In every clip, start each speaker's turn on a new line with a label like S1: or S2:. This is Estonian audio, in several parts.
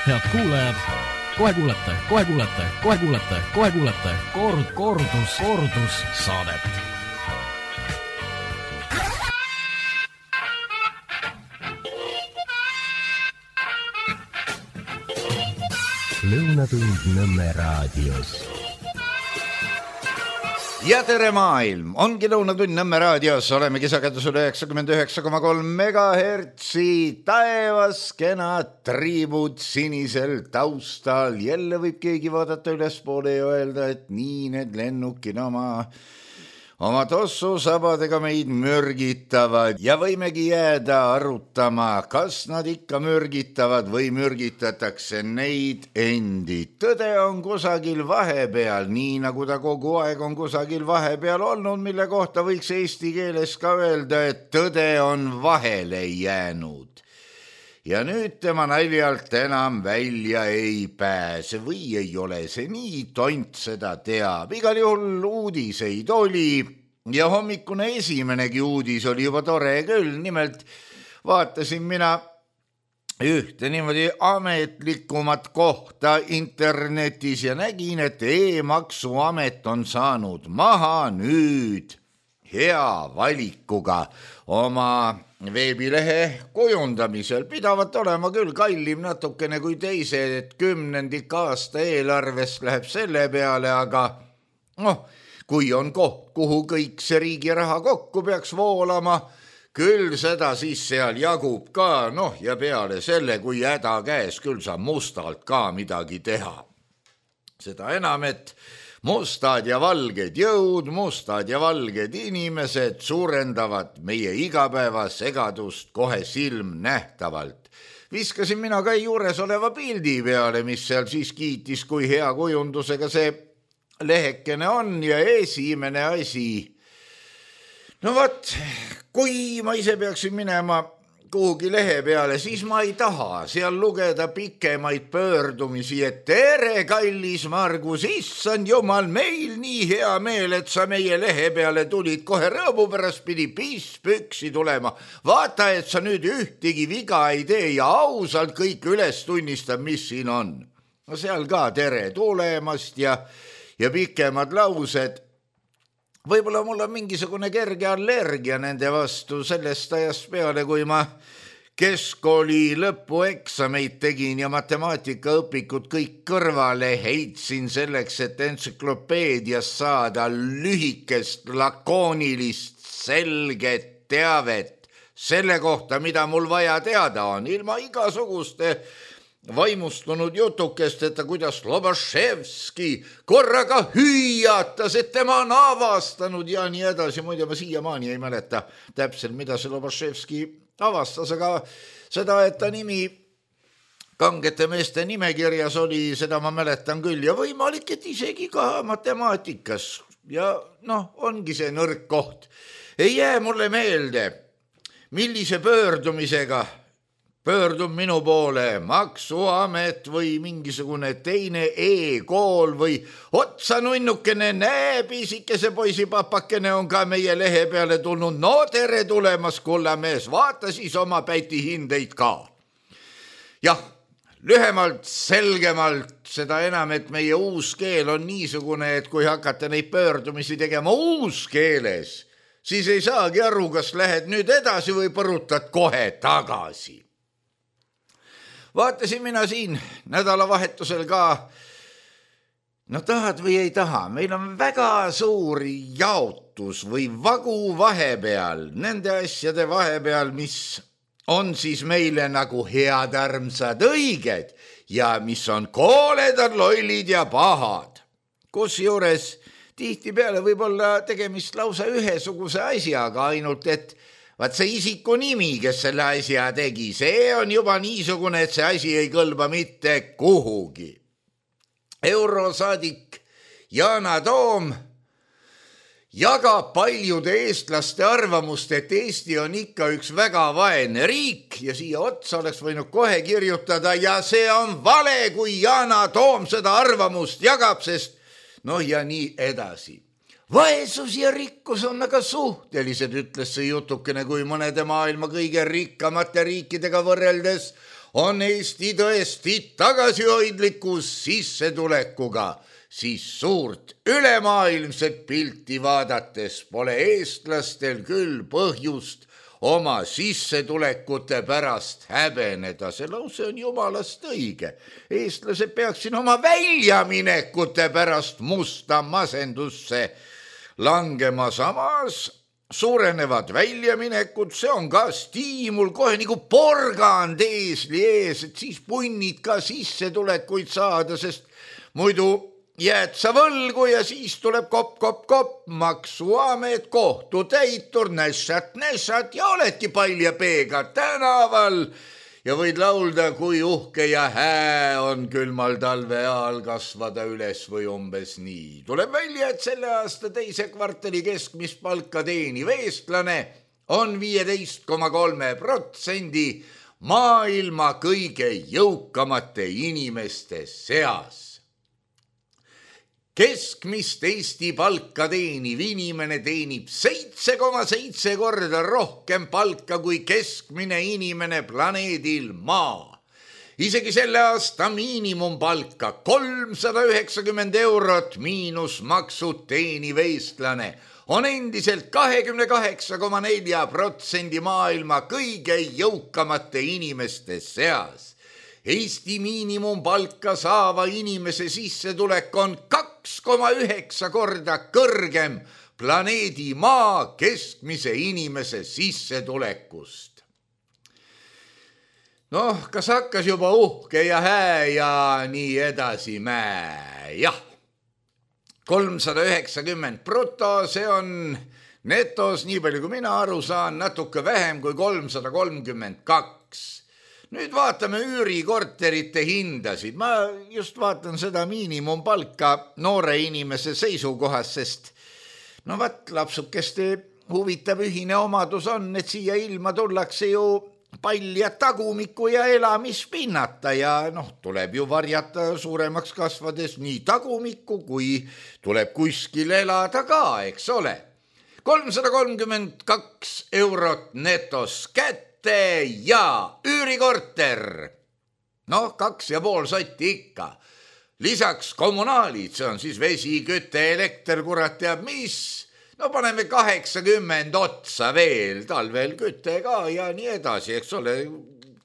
S1: Head kuulajad, kohe kuulete kordus saadet.
S2: Lõunatund Nõmme raadios.
S3: Ja tere maailm, ongi Lõunatund Nõmme raadios, olemegi sagedusel 99,3 megahertsi, taevas kenad triibud sinisel taustal, jälle võib keegi vaadata ülespoole ja öelda, et nii need lennukid oma tossusabadega meid mürgitavad ja võimegi jääda arutama, kas nad ikka mürgitavad või mürgitatakse neid endid. Tõde on kusagil vahepeal, nii nagu ta kogu aeg on kusagil vahepeal olnud, mille kohta võiks eesti keeles ka öelda, et tõde on vahele jäänud. Ja nüüd tema naljalt enam välja ei pääse või ei ole see nii, tont seda teab. Igal juhul uudiseid oli ja hommikune esimenegi uudis oli juba tore küll. Nimelt vaatasin mina ühte niimoodi ametlikumat kohta internetis ja nägin, et e-maksuamet on saanud maha nüüd hea valikuga oma veebilehe kujundamisel. Pidavat olema küll kallim natukene kui teised, et 10. aasta eelarvest läheb selle peale, aga kui on koht, kuhu kõik see riigi raha kokku peaks voolama, küll seda siis seal jagub ka, ja peale selle, kui häda käes, küll saab mustalt ka midagi teha. Seda enam, et mustad ja valged jõud, mustad ja valged inimesed suurendavad meie igapäevasegadust kohe silmnähtavalt. Viskasin mina ka juures oleva pildi peale, mis seal siis kiitis, kui hea kujundusega see lehekene on ja esimene asi. Kui ma ise peaksin minema kuhugi lehe peale, siis ma ei taha seal lugeda pikemaid pöördumisi, et tere, kallis Margus, issand jumal, meil nii hea meel, et sa meie lehe peale tulid, kohe rõõmu pärast pidi püksi tulema. Vaata, et sa nüüd ühtegi viga ei tee ja ausalt kõik üles tunnistab, mis siin on. Seal ka tere tulemast ja pikemad laused. Võib-olla mul on mingisugune kerge allergia nende vastu sellest ajast peale, kui ma keskkooli lõpueksameid tegin ja matemaatikaõpikud kõik kõrvale heitsin selleks, et entsüklopeedias saada lühikest, lakoonilist, selget teavet selle kohta, mida mul vaja teada on, ilma igasuguste vaimustunud jutukest, et kuidas Lobaševski korraga hüüatas, et tema on avastanud ja nii edasi. Muide, ma siiamaani ei mäleta täpselt, mida see Lobaševski avastas, aga seda, et ta nimi kangete meeste nimekirjas oli, seda ma mäletan küll ja võimalik, et isegi ka matemaatikas. Ja ongi see nõrk koht. Ei jää mulle meelde, millise pöördumisega pöördub minu poole maksuamet või mingisugune teine e-kool või otsa nunnukene, näe, pisikese poisipapakene on ka meie lehe peale tulnud. No tere tulemas, kullamees, vaata siis oma pätihindeid ka. Jah, lühemalt, selgemalt, seda enam, et meie uus keel on niisugune, et kui hakata neid pöördumisi tegema uus keeles, siis ei saagi aru, kas lähed nüüd edasi või põrutad kohe tagasi. Vaatasin mina siin nädalavahetusel ka, tahad või ei taha, meil on väga suur jaotus või vagu vahepeal, nende asjade vahepeal, mis on siis meile nagu head, armsad, õiged ja mis on kooledad, lollid ja pahad. Kusjuures tihtipeale võib olla tegemist lausa ühesuguse asjaga, ainult et vaat see isiku nimi, kes selle asja tegi, see on juba niisugune, et see asi ei kõlba mitte kuhugi. Eurosaadik Yana Toom jagab paljude eestlaste arvamust, et Eesti on ikka üks väga vaene riik ja siia otsa oleks võinud kohe kirjutada ja see on vale, kui Yana Toom seda arvamust jagab, sest ja nii edasi. Vaesus ja rikkus on aga suhtelised, ütles see jutukene, kui mõnede maailma kõige rikkamate riikidega võrreldes on Eesti tõesti tagasihoidlikus sissetulekuga, siis suurt ülemaailmset pilti vaadates pole eestlastel küll põhjust oma sissetulekute pärast häbeneda. See lause on jumalast õige. Eestlased peaksid oma väljaminekute pärast musta masendusse langema. Samas suurenevad väljaminekud, see on ka stiimul kohe nagu porgand eesli ees, et siis punnid ka sissetulekuid saada, sest muidu jääd sa võlgu ja siis tuleb kopp, maksuamet, kohtutäitur, nässat ja oledki palja peega tänaval ja võid laulda, kui uhke ja hää on külmal talve ajal kasvada üles või umbes nii. Tuleb välja, et selle aasta teise kvartali keskmist palka teeniv eestlane on 15,3% maailma kõige jõukamate inimeste seas. Keskmist Eesti palka teeniv inimene teenib 7,7 korda rohkem palka kui keskmine inimene planeedil Maa. Isegi selle aasta miinimumpalka 390 eurot miinus maksud teeniv eestlane on endiselt 28,4% maailma kõige jõukamate inimeste seas. Eesti miinimumpalka saava inimese sissetulek on 2,9 korda kõrgem planeedi Maa keskmise inimese sissetulekust. Noh, kas hakkas juba uhke ja hää ja nii edasi jah. 390 bruto, see on netos, nii palju kui mina aru saan, natuke vähem kui 332. Nüüd vaatame üürikorterite hindasid. Ma just vaatan seda miinimumpalka noore inimese seisukohast, sest lapsukeste huvitav ühine omadus on, et siia ilma tullakse ju palja tagumiku ja elamispinnata ja tuleb ju varjata suuremaks kasvades nii tagumikku, kui tuleb kuskil elada ka, eks ole. 332 eurot netos kätte ja üürikorter, 2,5 sotti ikka. Lisaks kommunaalid, see on siis vesi, küte, elekter, kurat teab mis. Paneme 80 otsa veel, talvel küte ka ja nii edasi, eks ole.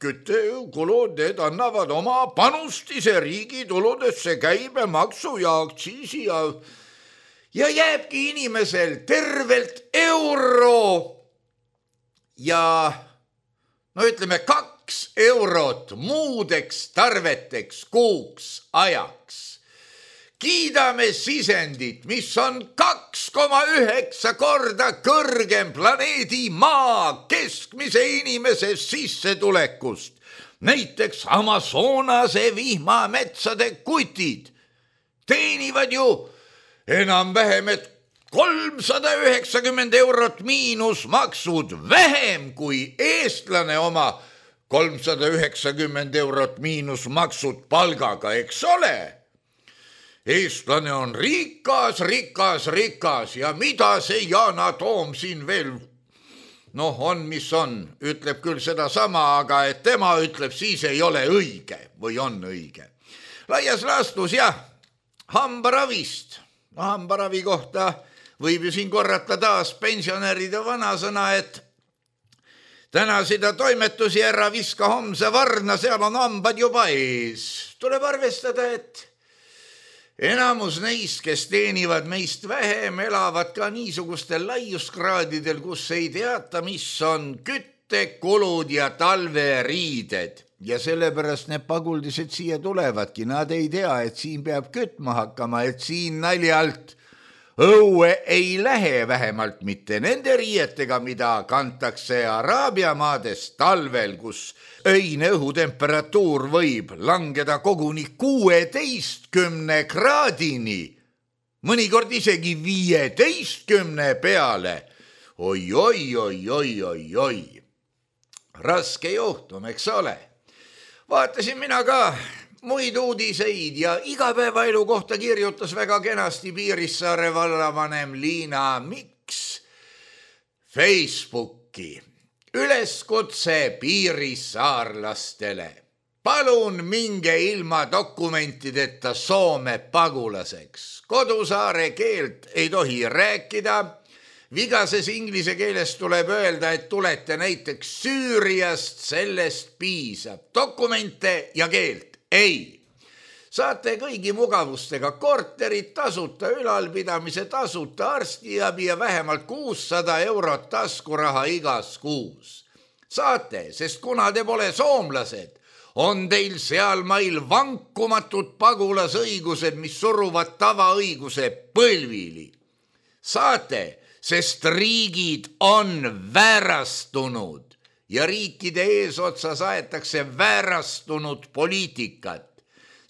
S3: Kütekulud, need annavad oma panust ise riigi tuludesse, käibemaksu ja aktsiisi ja jääbki inimesel tervelt euro ja ütleme 2 eurot muudeks tarveteks kuuks ajaks. Kiidame sisendit, mis on 2,9 korda kõrgem planeedi Maa keskmise inimese sissetulekust. Näiteks Amazonase vihmametsade kutid teenivad ju enam-vähem, et 390 eurot miinus maksud vähem kui eestlane oma 390 eurot miinus maksud palgaga, eks ole. Eestlane on rikas ja mida see Yana Toom siin veel on, mis on, ütleb küll seda sama, aga et tema ütleb, siis ei ole õige või on õige. Laias laastus hambaravist. Hambaravi kohta võib ju siin korrata taas pensionäride vanasõna, et täna seda toimetusi ära viska homse varna, seal on hambad juba ees. Tuleb arvestada, et enamus neist, kes teenivad meist vähem, elavad ka niisugustel laiuskraadidel, kus ei teata, mis on küttekulud ja talveriided. Ja sellepärast need paguldised siia tulevadki. Nad ei tea, et siin peab kütma hakkama, et siin naljalt õue ei lähe, vähemalt mitte nende riietega, mida kantakse Araabia maades talvel, kus öine õhutemperatuur võib langeda koguni 16 kraadini, mõnikord isegi 15 peale. Oi. Raske juhtum, eks ole. Vaatasin mina ka muid uudiseid ja igapäevaelu kohta kirjutas väga kenasti Piirissaare vallavanem Liina Miks Facebooki üleskutse piirissaarlastele. palun minge ilma dokumentideta Soome pagulaseks. Kodusaare keelt ei tohi rääkida. Vigases inglise keeles tuleb öelda, et tulete näiteks Süüriast, sellest piisab. Dokumente ja keelt ei. Saate kõigi mugavustega korterid, tasuta ülalpidamise, tasuta arstiabi ja vähemalt 600 € taskuraha igas kuus. Saate, sest kuna te pole soomlased, on teil sealmail vankumatud pagulasõigused, mis suruvad tavaõiguse põlvili. Saate, sest riigid on väärastunud ja riikide eesotsas aetakse väärastunud poliitikat.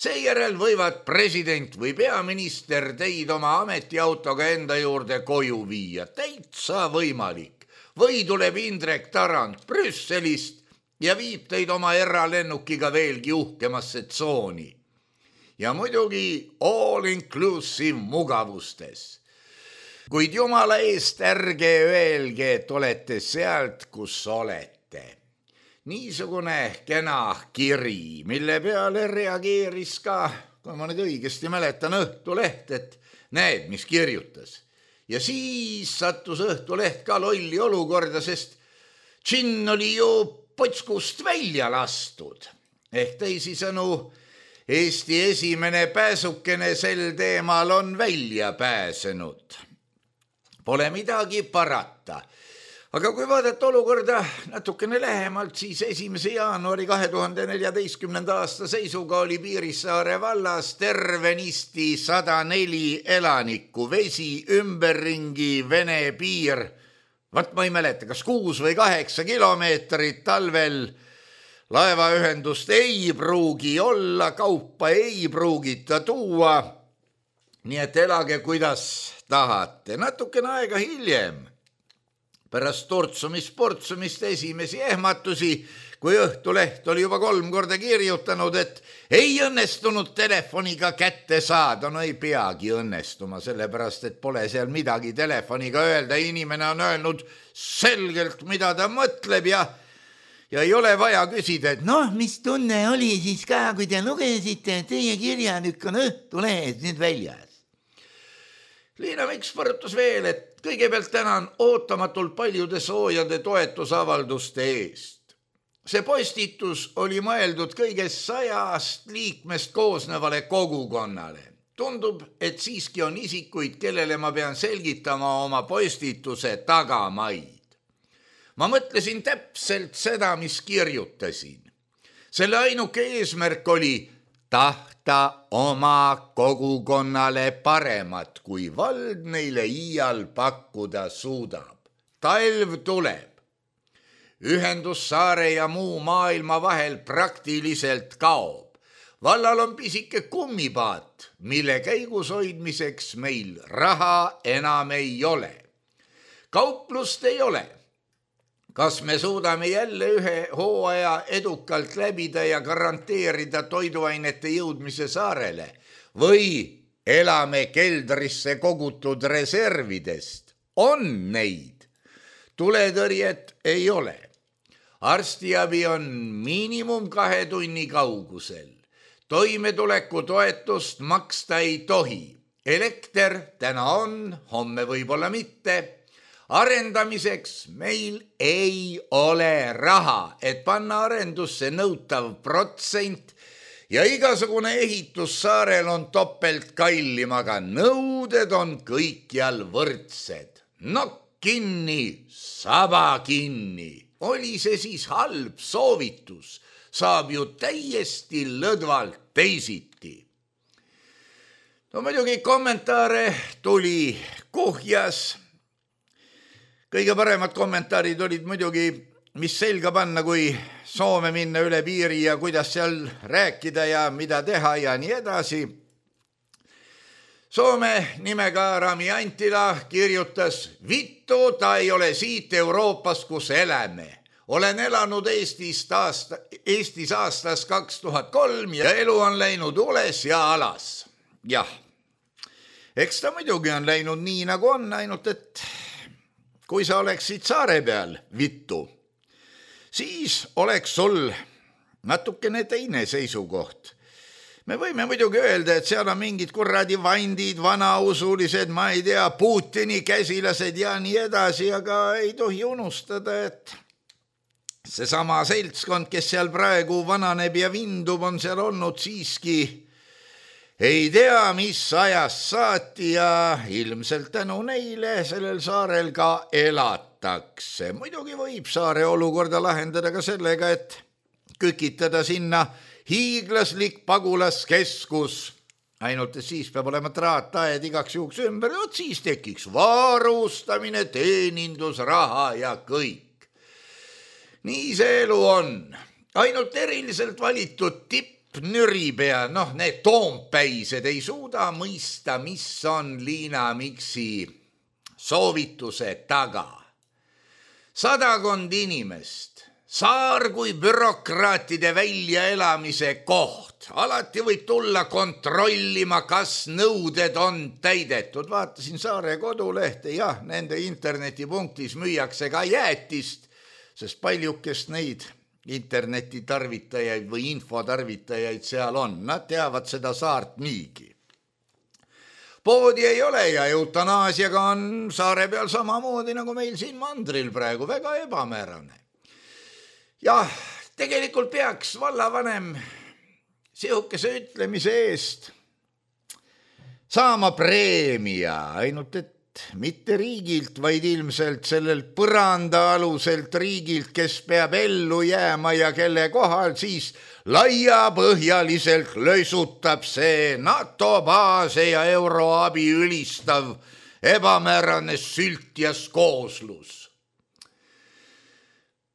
S3: Seejärel võivad president või peaminister teid oma ametiautoga enda juurde koju viia. Täitsa võimalik. Või tuleb Indrek Tarand Brüsselist ja viib teid oma eralennukiga veelgi uhkemasse tsooni. Ja muidugi all-inclusive mugavustes. Kuid jumala eest ärge öelge, et olete sealt, kus olete. Niisugune kena kiri, mille peale reageeris ka, kui ma nüüd õigesti mäletan, Õhtuleht, et näed, mis kirjutas. Ja siis sattus Õhtuleht ka lolli olukorda, sest džinn oli ju potskust välja lastud. Ehk teisisõnu, Eesti esimene pääsukene sel teemal on välja pääsenud. Pole midagi parata. Aga kui vaadata olukorda natukene lähemalt, siis 1. jaanuari 2014. aasta seisuga oli Piirissaare vallas tervenisti 104 elanikku, vesi ümberringi Vene piir. Vat ma ei mäleta, kas 6 või 8 kilomeetrit talvel laevaühendust ei pruugi olla, kaupa ei pruugita tuua. Nii et elage kuidas tahate. Natukene aega hiljem, pärast tortsumist esimesi ehmatusi, kui Õhtuleht oli juba 3 korda kirjutanud, et ei õnnestunud telefoniga kätte saada. No ei peagi õnnestuma, sellepärast, et pole seal midagi telefoniga öelda. Inimene on öelnud selgelt, mida ta mõtleb ja ei ole vaja küsida, et noh, mis tunne oli siis ka, kui te lugesite, teie kirjanükk on Õhtulehes nüüd väljas. Liina Miks põrutas veel, et kõigepealt tänan ootamatult paljude soojade toetusavalduste eest. See postitus oli mõeldud kõigest 100 liikmest koosnevale kogukonnale. Tundub, et siiski on isikuid, kellele ma pean selgitama oma postituse tagamaid. Ma mõtlesin täpselt seda, mis kirjutasin. Selle ainuke eesmärk oli tahta oma kogukonnale paremat, kui vald neile iial pakkuda suudab. Talv tuleb. Ühendus saare ja muu maailma vahel praktiliselt kaob. Vallal on pisike kummipaat, mille käigus hoidmiseks meil raha enam ei ole. Kauplust ei ole. Kas me suudame jälle ühe hooaja edukalt läbida ja garanteerida toiduainete jõudmise saarele või elame keldrisse kogutud reservidest? On neid. Tuletõrjet ei ole. Arstiabi on miinimum 2 tunni kaugusel. Toimetuleku toetust maksta ei tohi. Elekter täna on, homme võib-olla mitte. Arendamiseks meil ei ole raha, et panna arendusse nõutav protsent ja igasugune ehitus saarel on topelt kallim, aga nõuded on kõikjal võrdsed. Nokk kinni, saba kinni. Oli see siis halb soovitus, saab ju täiesti lõdvalt teisiti. No muidugi kommentaare tuli kuhjas. Kõige paremad kommentaarid olid muidugi, mis selga panna, kui Soome minna üle piiri ja kuidas seal rääkida ja mida teha ja nii edasi. Soome nimega Rami Antila kirjutas, vittu ta ei ole siit Euroopas, kus eläme. Olen elanud Eestis aastas 2003 ja elu on läinud ules ja alas. Jah, eks ta muidugi on läinud nii nagu on, ainult et kui sa oleksid saare peal, vittu, siis oleks sul natukene teine seisukoht. Me võime muidugi öelda, et seal on mingid kuradi vandid, vanausulised, ma ei tea, Putini käsilased ja nii edasi, aga ei tohi unustada, et seesama seltskond, kes seal praegu vananeb ja vindub, on seal olnud siiski ei tea, mis ajast saati ja ilmselt tänu neile sellel saarel ka elatakse. Muidugi võib saare olukorda lahendada ka sellega, et kükitada sinna hiiglaslik pagulaskeskus, ainult et siis peab olema traataed igaks juhuks ümber, siis tekiks varustamine, teenindusraha ja kõik. Nii see elu on. Ainult eriliselt valitud tippnüripea, need toompäised ei suuda mõista, mis on Liina Miksi soovituse taga. 100 inimest. Saar kui bürokraatide väljaelamise koht. Alati võib tulla kontrollima, kas nõuded on täidetud. Vaatasin Saare kodulehte, jah, nende internetipunktis müüakse ka jäätist, sest paljukest neid internetitarvitajaid või infotarvitajaid seal on. Nad teavad seda saart niigi. Poodi ei ole ja eutanaasiaga on saare peal samamoodi nagu meil siin mandril praegu, väga ebamäärane. Jah, tegelikult peaks vallavanem sihukese ütlemise eest saama preemia, ainult et mitte riigilt, vaid ilmselt sellelt põranda aluselt riigilt, kes peab ellu jääma ja kelle kohal siis laiapõhjaliselt lösutab see NATO baase ja euroabi ülistav ebamäärane sültjas kooslus.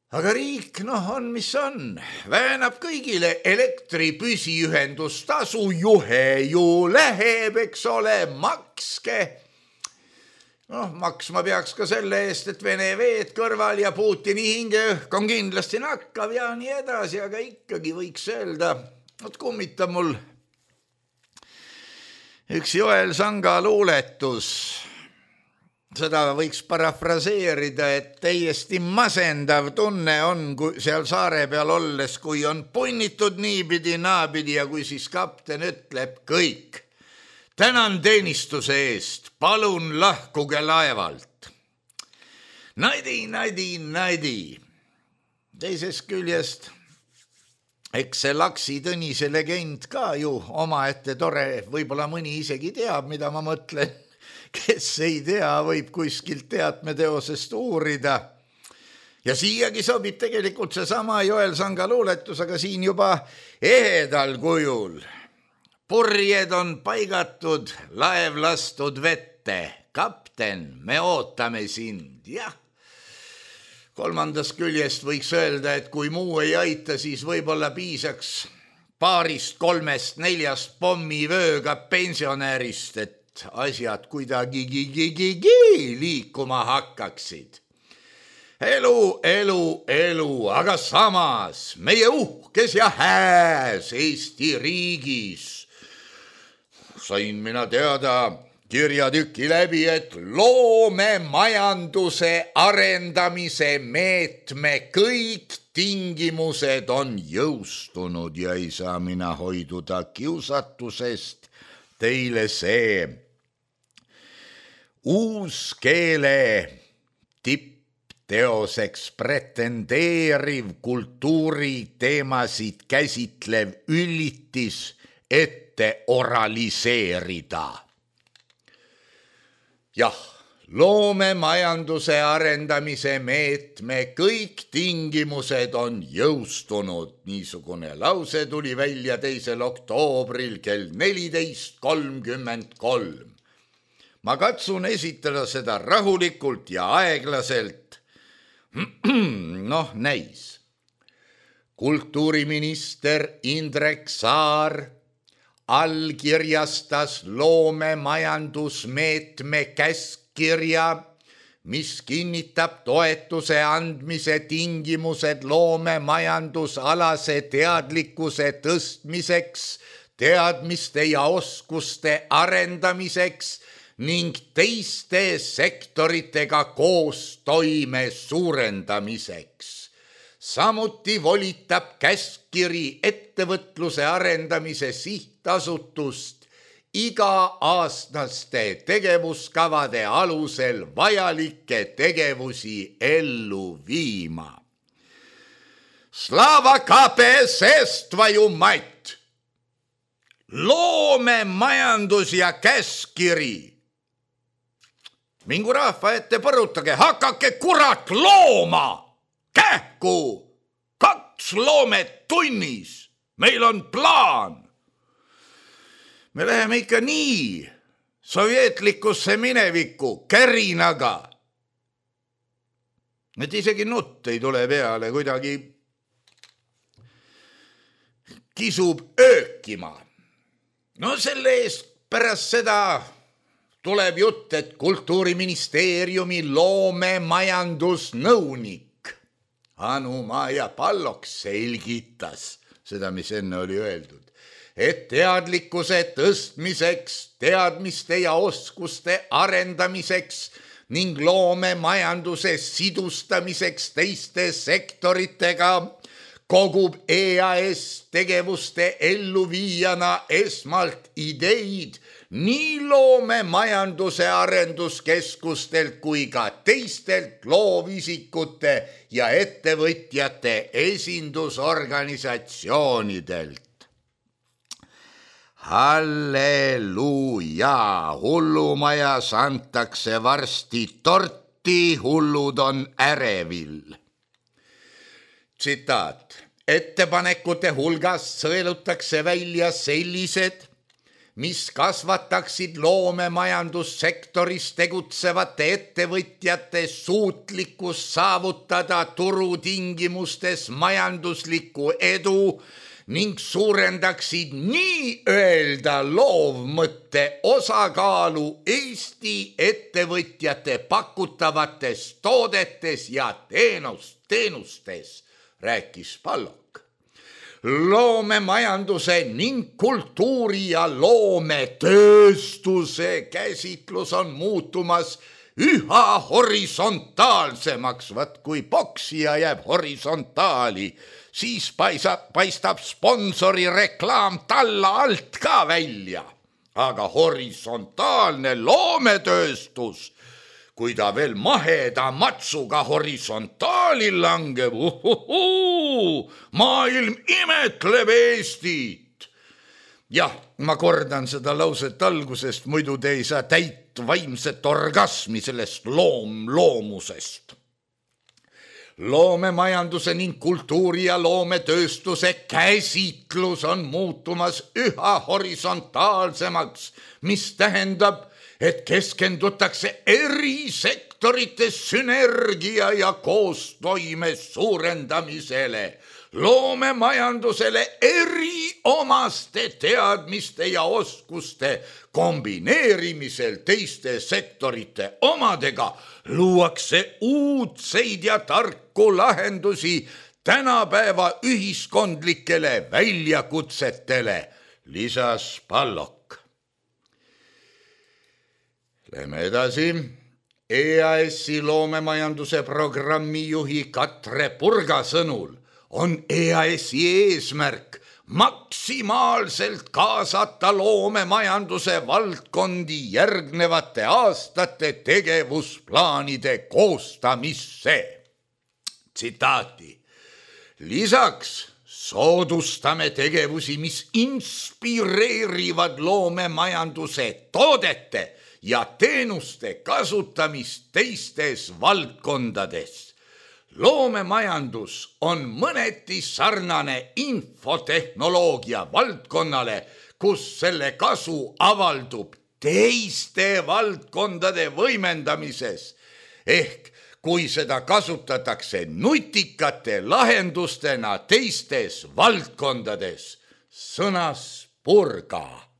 S3: Aga riik, on mis on, väänab kõigile elektri püsiühendustasu, juhe ju läheb, eks ole, makske. Maksma peaks ka selle eest, et Vene veed kõrval ja Putini hingeõhk on kindlasti nakkav ja nii edasi, aga ikkagi võiks öelda, kummitab mul üks Joel Sanga luuletus. Seda võiks parafraseerida, et täiesti masendav tunne on seal saare peal olles, kui on punnitud niipidi, naapidi ja kui siis kapten ütleb kõik. Tänan teenistuse eest, palun lahkuge laevalt. Naidi. Teisest küljest, eks see Laksi Tõnise legend ka ju omaette tore, võib-olla mõni isegi teab, mida ma mõtlen. Kes ei tea, võib kuskilt teatmeteosest uurida. Ja siiagi sobib tegelikult seesama Joel Sanga luuletus, aga siin juba ehedal kujul. Purjed on paigatud, laev lastud vette. Kapten, me ootame sind. Jah. Kolmandast küljest võiks öelda, et kui muu ei aita, siis võib-olla piisaks 2-3-4 pommivööga pensionärist, et asjad kuidagi liikuma hakkaksid. Elu, aga samas meie uhkes ja hääs Eesti riigis sain mina teada kirjatüki läbi, et loomemajanduse arendamise meetme kõik tingimused on jõustunud ja ei saa mina hoiduda kiusatusest teile see uuskeele tippteoseks pretendeeriv kultuuriteemasid käsitlev üllitis ette oraliseerida. Jah, loomemajanduse arendamise meetme kõik tingimused on jõustunud. Niisugune lause tuli välja 2. oktoobril kell 14:33. Ma katsun esitada seda rahulikult ja aeglaselt. Näis. Kultuuriminister Indrek Saar allkirjastas loomemajandusmeetme käskkirja, mis kinnitab toetuse andmise tingimused loomemajandusalase teadlikkuse tõstmiseks, teadmiste ja oskuste arendamiseks ning teiste sektoritega koostoime suurendamiseks. samuti volitab käskkiri ettevõtluse arendamise sihtasutust iga-aastaste tegevuskavade alusel vajalikke tegevusi ellu viima. Slava KPSS, твою мать! Loomemajandus ja käskkiri. Mingu rahva ette põrutage, hakake kurat looma! Kähku! 2 loomet tunnis! Meil on plaan! Me läheme ikka nii sovjetlikusse minevikku kärinaga. Et isegi nutt ei tule peale, kuidagi kisub öökima. No selle eest pärast seda tuleb jutt, et Kultuuriministeeriumi loomemajandusnõunik Anu-Maja Pallok selgitas seda, mis enne oli öeldud, et teadlikkuse tõstmiseks, teadmiste ja oskuste arendamiseks ning loomemajanduse sidustamiseks teiste sektoritega kogub EAS tegevuste elluviijana esmalt ideid nii loomemajanduse arenduskeskustelt kui ka teistelt loovisikute ja ettevõtjate esindusorganisatsioonidelt. Halleluuja, hullumajas antakse varsti torti, hullud on ärevil. Tsitaat. Ettepanekute hulgas sõelutakse välja sellised, mis kasvataksid loomemajandussektoris tegutsevate ettevõtjate suutlikkus saavutada turutingimustes majanduslikku edu ning suurendaksid nii-öelda loovmõtte osakaalu Eesti ettevõtjate pakutavates toodetes ja teenustes, rääkis Pallok. Loomemajanduse ning kultuuri ja loometööstuse käsitlus on muutumas üha horisontaalsemaks. Vaat kui poksija jääb horisontaali, siis paistab sponsori reklaam talla alt ka välja. Aga horisontaalne loometööstus, kui ta veel maheda matsuga horisontaali langeb, maailm imetleb Eestit. Jah, ma kordan seda lauset algusest, muidu te ei saa täit vaimset orgasmi sellest loomusest. Loomemajanduse ning kultuuri ja loometööstuse käsitlus on muutumas üha horisontaalsemaks, mis tähendab, et keskendutakse eri sektorite sünergia ja koostoime suurendamisele, loomemajandusele eri omaste teadmiste ja oskuste kombineerimisel teiste sektorite omadega luuakse uudseid ja tarku lahendusi tänapäeva ühiskondlikele väljakutsetele, lisas Pallok. Lähme edasi. EAS-i loomemajanduse programmijuhi Katre Purga sõnul on EAS-i eesmärk maksimaalselt kaasata loomemajanduse valdkondi järgnevate aastate tegevusplaanide koostamisse. Tsitaati. Lisaks soodustame tegevusi, mis inspireerivad loomemajanduse toodete ja teenuste kasutamist teistes valdkondades. Loomemajandus on mõneti sarnane infotehnoloogia valdkonnale, kus selle kasu avaldub teiste valdkondade võimendamises. Ehk kui seda kasutatakse nutikate lahendustena teistes valdkondades, sõnas Purga.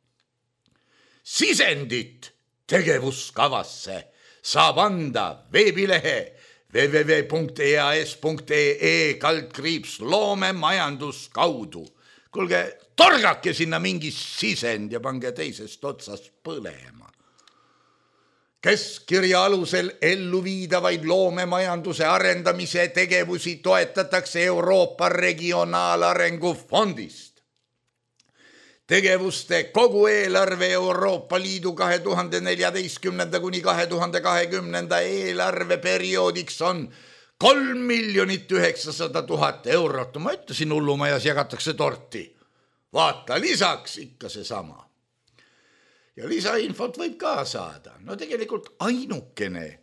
S3: Sisendit tegevuskavasse saab anda veebilehe www.eas.ee/loomemajandus kaudu. Kuulge, torgake sinna mingi sisend ja pange teisest otsast põlema. Keskkirja alusel ellu viidavaid loomemajanduse arendamise tegevusi toetatakse Euroopa Regionaalarengu Fondist. Tegevuste kogu eelarve Euroopa Liidu 2014. kuni 2020. eelarveperioodiks on 3 900 000 eurot. Ma ütlesin, hullumajas jagatakse torti. Vaata, lisaks ikka seesama. Ja lisainfot võib ka saada. No tegelikult ainukene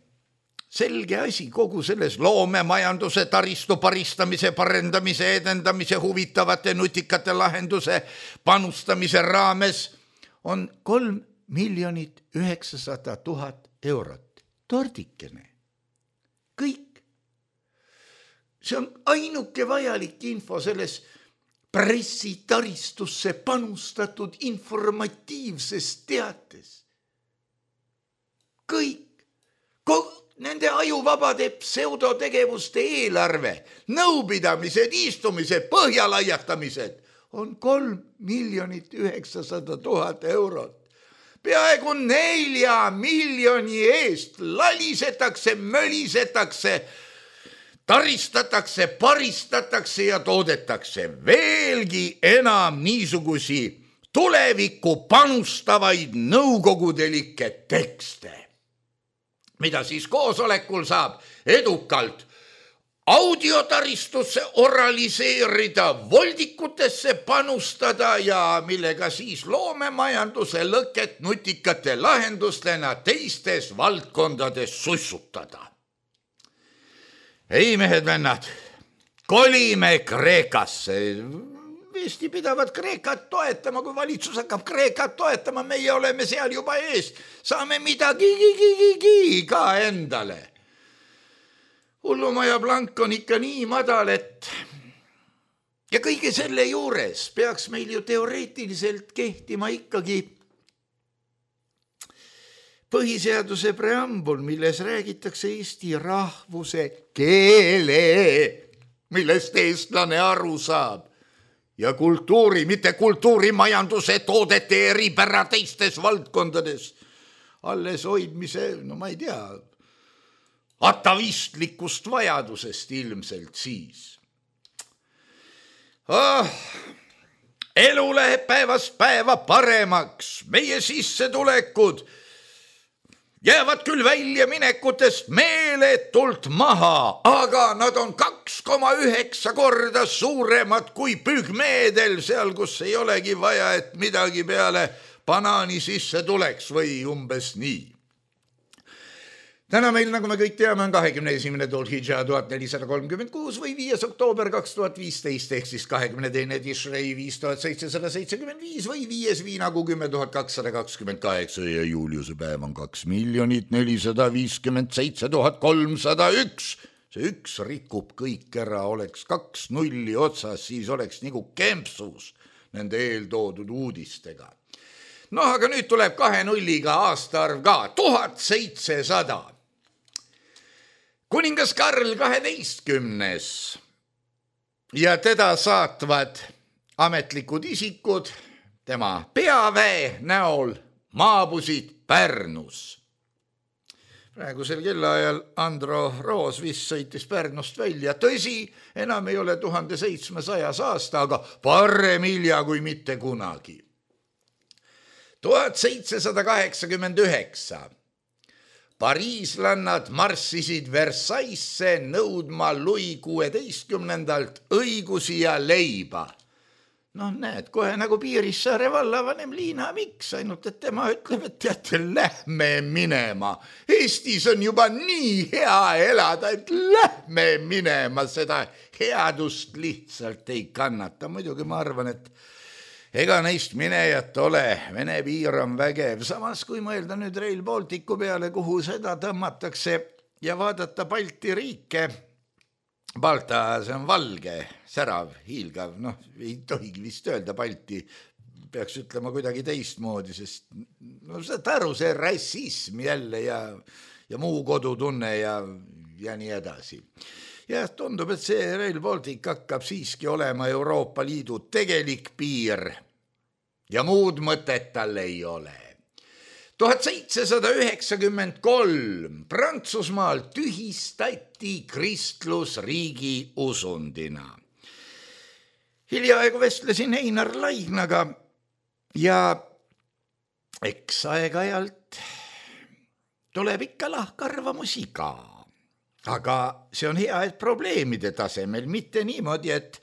S3: selge asi kogu selles loomemajanduse taristu paristamise, parendamise, edendamise, huvitavate nutikate lahenduse panustamise raames on 3 900 000 eurot. Tordikene. Kõik. See on ainuke vajalik info selles pressitaristusse panustatud informatiivses teates. Kõik, nende ajuvabade pseudotegevuste eelarve, nõupidamised, istumised, põhjalaiatamised on 3 900 000 eurot. Peaaegu 4 miljoni eest lalisetakse, mölisetakse, taristatakse, paristatakse ja toodetakse veelgi enam niisugusi tulevikku panustavaid nõukogudelikke tekste, mida siis koosolekul saab edukalt audiotaristusse oraliseerida, voldikutesse panustada ja millega siis loomemajanduse lõket nutikate lahendustena teistes valdkondades sussutada. Ei, mehed-vennad, kolime Kreekasse. Eesti pidavad Kreekat toetama, kui valitsus hakkab Kreekat toetama, meie oleme seal juba ees. Saame midagi ka endale. Hullumaja plank on ikka nii madal, et ja kõige selle juures peaks meil ju teoreetiliselt kehtima ikkagi põhiseaduse preambul, milles räägitakse eesti rahvuse keele, millest eestlane aru saab, ja kultuuri, mitte kultuurimajanduse toodete eripära teistes valdkondades alles hoidmise, no ma ei tea, atavistlikust vajadusest ilmselt siis. Elu läheb päevast päeva paremaks, meie sissetulekud jäävad küll väljaminekutest meeletult maha, aga nad on 2,9 korda suuremad kui pügmeedel seal, kus ei olegi vaja, et midagi peale banaani sisse tuleks või umbes nii. Täna meil, nagu me kõik teame, on 21. Dhul-Hidža 1436 või 5. oktoober 2015 ehk siis 22. Tishrei 5775 või 5. viinakuu 10 228 ja Juliuse päev on 2 457 301. See üks rikub kõik ära, oleks 2 nulli otsas, siis oleks nagu kempsus nende eeltoodud uudistega. No aga nüüd tuleb 2 nulliga aastaarv ka, 1700. Kuningas Karl 12. ja teda saatvad ametlikud isikud tema peaväe näol maabusid Pärnus. Praegusel kellaajal Andro Roos vist sõitis Pärnust välja. Tõsi, enam ei ole 1700 aasta, aga parem hilja kui mitte kunagi. 1789. Pariislannad marssisid Versaillesse nõudma Louis XVI õigusi ja leiba. No näed, kohe nagu Piirissaare vallavanem Liina Miks, ainult et tema ütleb, et teate, lähme minema. Eestis on juba nii hea elada, et lähme minema, seda headust lihtsalt ei kannata. Muidugi ma arvan, et ega neist minejat ole, Vene piir on vägev. Samas, kui mõelda nüüd Rail Balticu peale, kuhu seda tõmmatakse ja vaadata Balti riike, Balta, see on valge, särav, hiilgav, noh, ei tohigi vist öelda Balti, peaks ütlema kuidagi teistmoodi, sest no, aru, see rassism jälle ja muu kodutunne ja nii edasi. Ja tundub, et see Rail Baltic hakkab siiski olema Euroopa Liidu tegelik piir ja muud mõtet tal ei ole. 1793 Prantsusmaal tühistati kristlus riigi usundina. Hiljaaegu vestlesin Einar Laignaga ja eks aeg-ajalt tuleb ikka lahkarvamusi ka. Aga see on hea, et probleemide tasemel, mitte niimoodi, et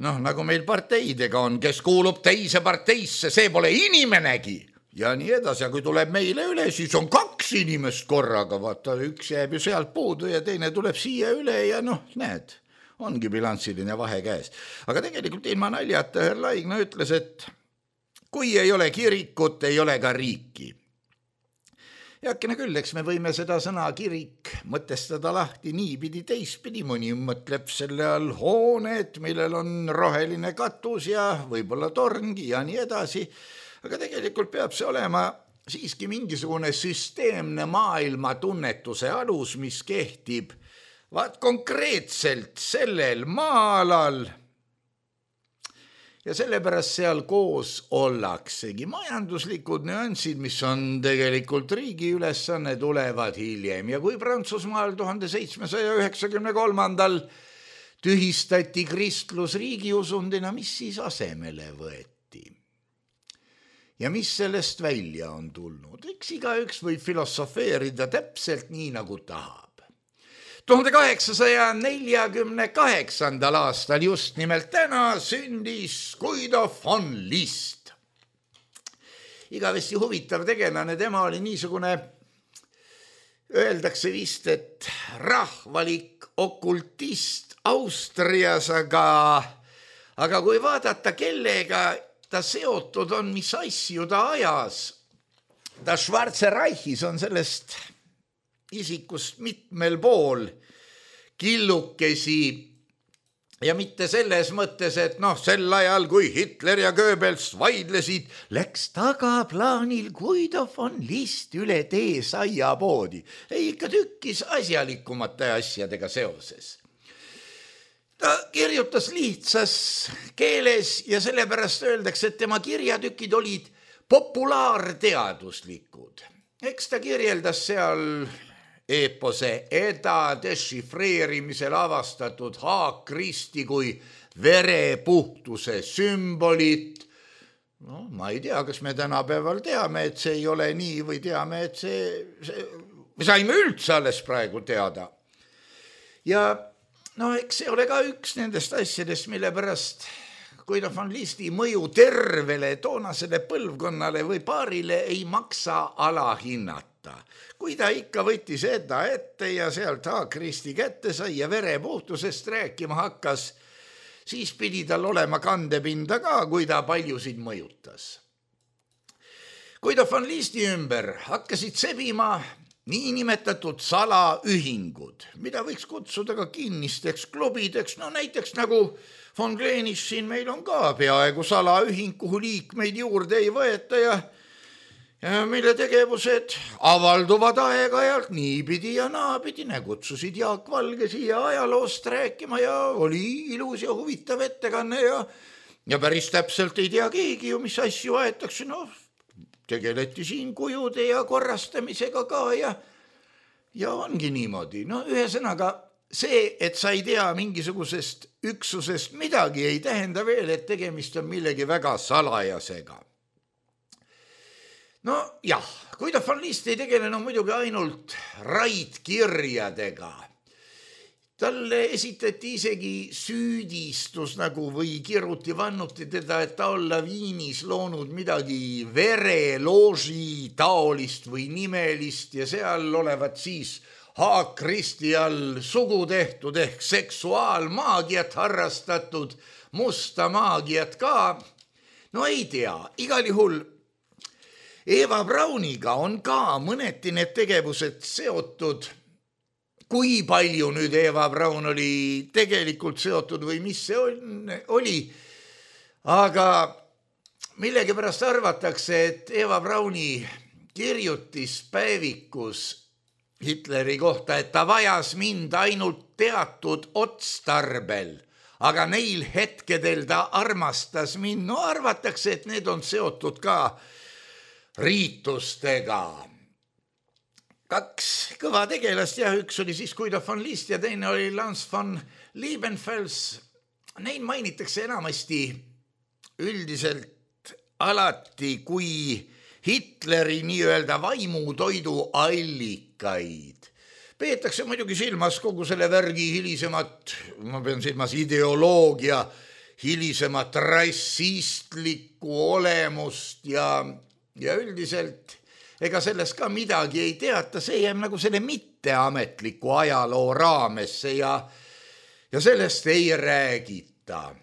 S3: nagu meil parteidega on, kes kuulub teise parteisse, see pole inimenegi ja nii edasi, ja kui tuleb meile üle, siis on 2 inimest korraga, vaata, üks jääb ju sealt puudu ja teine tuleb siia üle ja näed, ongi bilanssiline vahe käes. Aga tegelikult ilma naljata Herr Laigna ütles, et kui ei ole kirikut, ei ole ka riiki. Heakene küll, eks me võime seda sõna kirik mõtestada lahti niipidi teistpidi, mõni mõtleb selle all hoonet, millel on roheline katus ja võib-olla torngi ja nii edasi, aga tegelikult peab see olema siiski mingisugune süsteemne maailma tunnetuse alus, mis kehtib konkreetselt sellel maalal ja sellepärast seal koos ollaksegi. Majanduslikud nüansid, mis on tegelikult riigi ülesanne, tulevad hiljem ja kui Prantsusmaal 1793 tühistati kristlus riigiusundina, mis siis asemele võeti? Ja mis sellest välja on tulnud? Eks igaüks võib filosofeerida täpselt nii, nagu tahab. 1848. aastal just nimelt täna sündis Guido von List. Igavesti huvitav tegelane, tema oli niisugune, öeldakse vist, et rahvalik okultist Austrias, aga kui vaadata, kellega ta seotud on, mis asju ta ajas, ta Schwarze Reichis on sellest isikust mitmel pool killukesi ja mitte selles mõttes, et sel ajal, kui Hitler ja Goebbels vaidlesid, läks tagaplaanil Guido von List üle tee saiapoodi. Ei, ikka tükkis asjalikumate asjadega seoses. Ta kirjutas lihtsas keeles ja sellepärast öeldakse, et tema kirjatükid olid populaarteaduslikud. Eks ta kirjeldas seal eepose Eda dešifreerimisel avastatud haakristi kui verepuhtuse sümbolit. Ma ei tea, kas me tänapäeval teame, et see ei ole nii või teame, et me saime üldse alles praegu teada. Ja eks see ole ka üks nendest asjadest, mille pärast Guido von Listi mõju tervele toonasele põlvkonnale või paarile ei maksa alahinnata. Kui ta ikka võttis Eda ette ja sealt haakristi kätte sai ja verepuhtusest rääkima hakkas, siis pidi tal olema kandepinda ka, kui ta paljusid mõjutas. Guido von Listi ümber hakkasid sebima niinimetatud salaühingud, mida võiks kutsuda ka kinnisteks klubideks, näiteks nagu von Gleenis siin meil on ka peaaegu salaühing, kuhu liikmeid juurde ei võeta ja mille tegevused avalduvad aeg-ajalt niipidi ja naapidi, kutsusid Jaak Valge siia ajaloost rääkima ja oli ilus ja huvitav ettekanne ja päris täpselt ei tea keegi ju, mis asju aetakse, tegeleti siin kujude ja korrastamisega ka ja ongi niimoodi. Ühesõnaga see, et sa ei tea mingisugusest üksusest midagi, ei tähenda veel, et tegemist on millegi väga salajasega. Guido von List ei tegelenud muidugi ainult raidkirjadega. Talle esitati isegi süüdistus või kiruti vannuti teda, et ta olla Viinis loonud midagi verelooži taolist või nimelist ja seal olevat siis haakristi all sugu tehtud ehk seksuaalmaagiat harrastatud, musta maagiat ka. Ei tea, igal juhul Eva Brauniga on ka mõneti need tegevused seotud. Kui palju nüüd Eva Braun oli tegelikult seotud või mis see oli, aga millegipärast arvatakse, et Eva Brauni kirjutis päevikus Hitleri kohta, et ta vajas mind ainult teatud otstarbel, aga neil hetkedel ta armastas mind. Arvatakse, et need on seotud ka riitustega. Kaks kõva tegelast ja üks oli siis Guido von List ja teine oli Lance von Liebenfels. Neid mainitakse enamasti üldiselt alati kui Hitleri nii-öelda vaimutoidu allikaid. Peetakse muidugi silmas kogu selle värgi hilisemat, ma pean silmas ideoloogia, hilisemat rassistlikku olemust ja üldiselt ega sellest ka midagi ei teata, see jääb nagu selle mitteametliku ajaloo raamesse ja sellest ei räägita.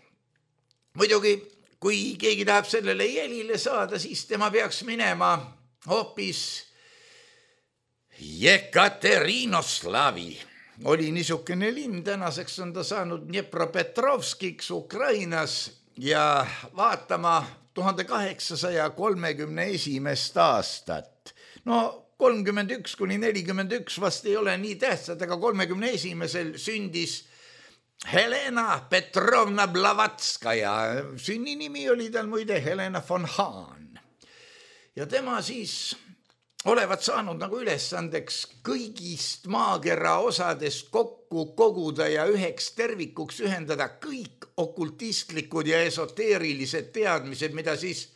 S3: Muidugi, kui keegi tahab sellele jälile saada, siis tema peaks minema hoopis Jekaterinoslavi. Oli niisugune linn, tänaseks on ta saanud Dnepropetrovskiks Ukrainas ja vaatama 1831. aastat. No 31 kuni 41 vast ei ole nii tähtsad, aga 31. sündis Helena Petrovna Blavatskaja. Sünninimi oli tal muide Helena von Hahn. Ja tema siis olevat saanud nagu ülesandeks kõigist maakera osadest kokku koguda ja üheks tervikuks ühendada kõik okultistlikud ja esoteerilised teadmised, mida siis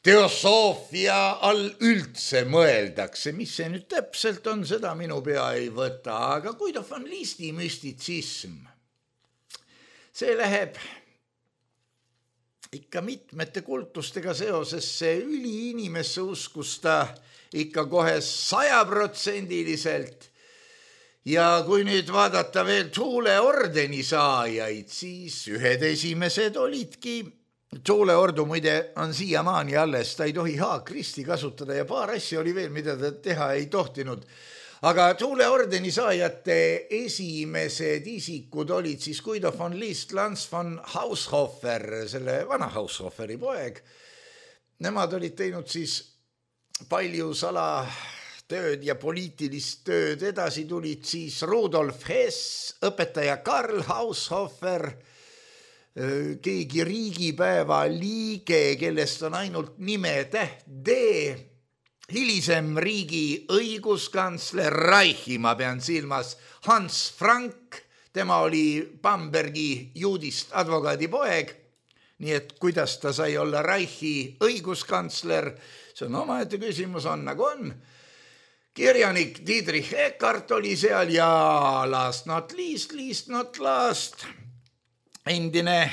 S3: teosoofia all üldse mõeldakse. Mis see nüüd täpselt on, seda minu pea ei võta, aga Guido von Listi müstitsism, see läheb ikka mitmete kultustega seoses, see üliinimesse uskus ta ikka kohe 100%. Ja kui nüüd vaadata veel Tuuleordeni saajaid, siis ühed esimesed olidki. Tuuleordu muide on siiamaani alles, ta ei tohi haakristi kasutada ja paar asja oli veel, mida ta teha ei tohtinud. Aga Tuuleordeni saajate esimesed isikud olid siis Guido von List, Lance von Haushofer, selle vana Haushoferi poeg. Nemad olid teinud siis palju salatööd ja poliitilist tööd, edasi tulid siis Rudolf Hess, õpetaja Karl Haushofer, keegi riigipäeva liige, kellest on ainult nimetäht D, hilisem riigi õiguskantsler Reichi, ma pean silmas Hans Frank, tema oli Bambergi juudist advokaadi poeg, nii et kuidas ta sai olla Reichi õiguskantsler, see on omaette küsimus, on nagu on. Kirjanik Dietrich Eckart oli seal ja last not least last, endine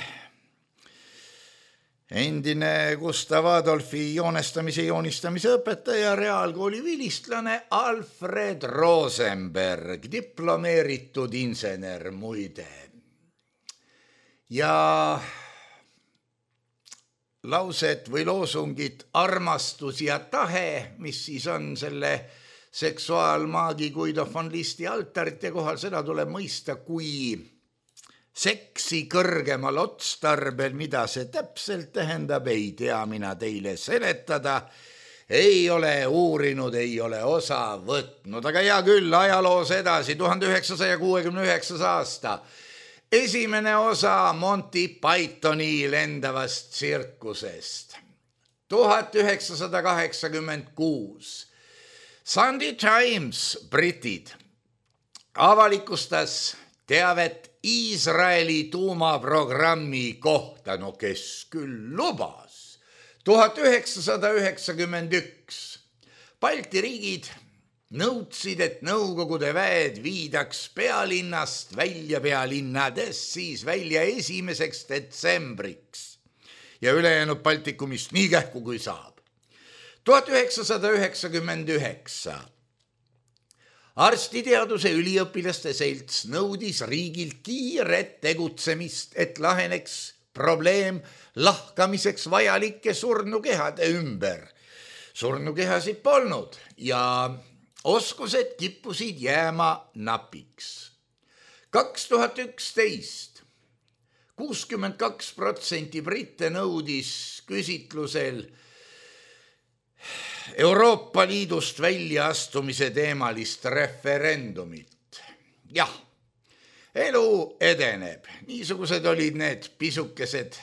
S3: Gustav Adolfi joonistamise õpetaja, reaalkooli vilistlane Alfred Rosenberg, diplomeeritud insener muide. Ja laused või loosungid armastus ja tahe, mis siis on selle seksuaalmaagi Guido von Listi altarite kohal, seda tuleb mõista kui seksi kõrgemal otstarbel, mida see täpselt tähendab, ei tea mina teile seletada, ei ole uurinud, ei ole osa võtnud, aga hea küll, ajaloos edasi, 1969. aasta, esimene osa Monty Pythoni lendavast tsirkusest, 1986, Sunday Times, britid, avalikustas teavet Iisraeli tuumaprogrammi kohta, no kes küll lubas. 1991 Balti riigid nõudsid, et Nõukogude väed viidaks pealinnast välja, pealinnadest siis välja 1. detsembriks ja ülejäänud Baltikumist nii kähku kui saab. 1999 arstiteaduse üliõpilaste selts nõudis riigilt kiiret tegutsemist, et laheneks probleem lahkamiseks vajalike surnukehade ümber. Surnukehasid polnud ja oskused kippusid jääma napiks. 2011 62% britte nõudis küsitlusel Euroopa Liidust väljaastumise teemalist referendumit. Jah, elu edeneb. Niisugused olid need pisukesed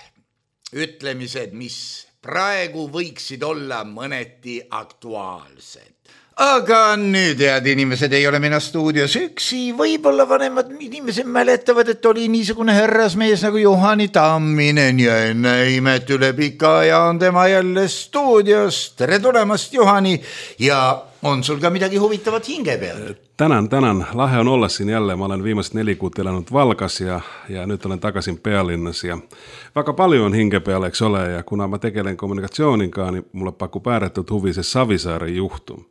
S3: ütlemised, mis praegu võiksid olla mõneti aktuaalsed. Aga nüüd, head inimesed, ei ole mina stuudios üksi, võib-olla vanemad inimesed mäletavad, et oli niisugune härrasmees nagu Juhani Tamminen ja enne imet üle pika aja on tema jälle stuudios. Tere tulemast, Juhani, ja on sul ka midagi huvitavat hinge peal?
S4: Tänan. Lahe on olla siin jälle. Ma olen viimast 4 kuud elanud Valgas ja nüüd olen tagasin pealinnas ja väga palju on hinge peal, eks ole, ja kuna ma tegelen kommunikatsiooniga, niin mulle pakub ääretult huvi see Savisaare juhtum.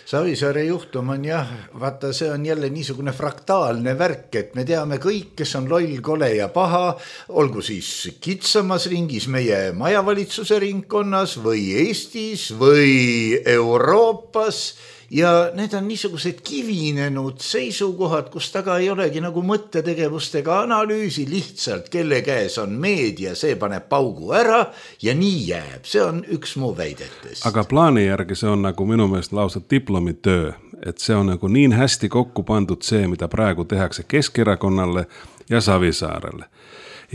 S3: Savisaare juhtum on jah, vaata, see on jälle niisugune fraktaalne värk, et me teame kõik, kes on loll, kole ja paha, olgu siis kitsamas ringis meie majavalitsuse ringkonnas või Eestis või Euroopas. Ja need on niisugused kivinenud seisukohad, kus taga ei olegi nagu mõttetegevustega analüüsi, lihtsalt kelle käes on meedia, see paneb paugu ära ja nii jääb. See on üks mu väidetest.
S4: Aga plaani järgi see on nagu minu meelest lausa diplomitöö, et see on nagu niin hästi kokku pandud see, mida praegu tehakse Keskerakonnale ja Savisaarele.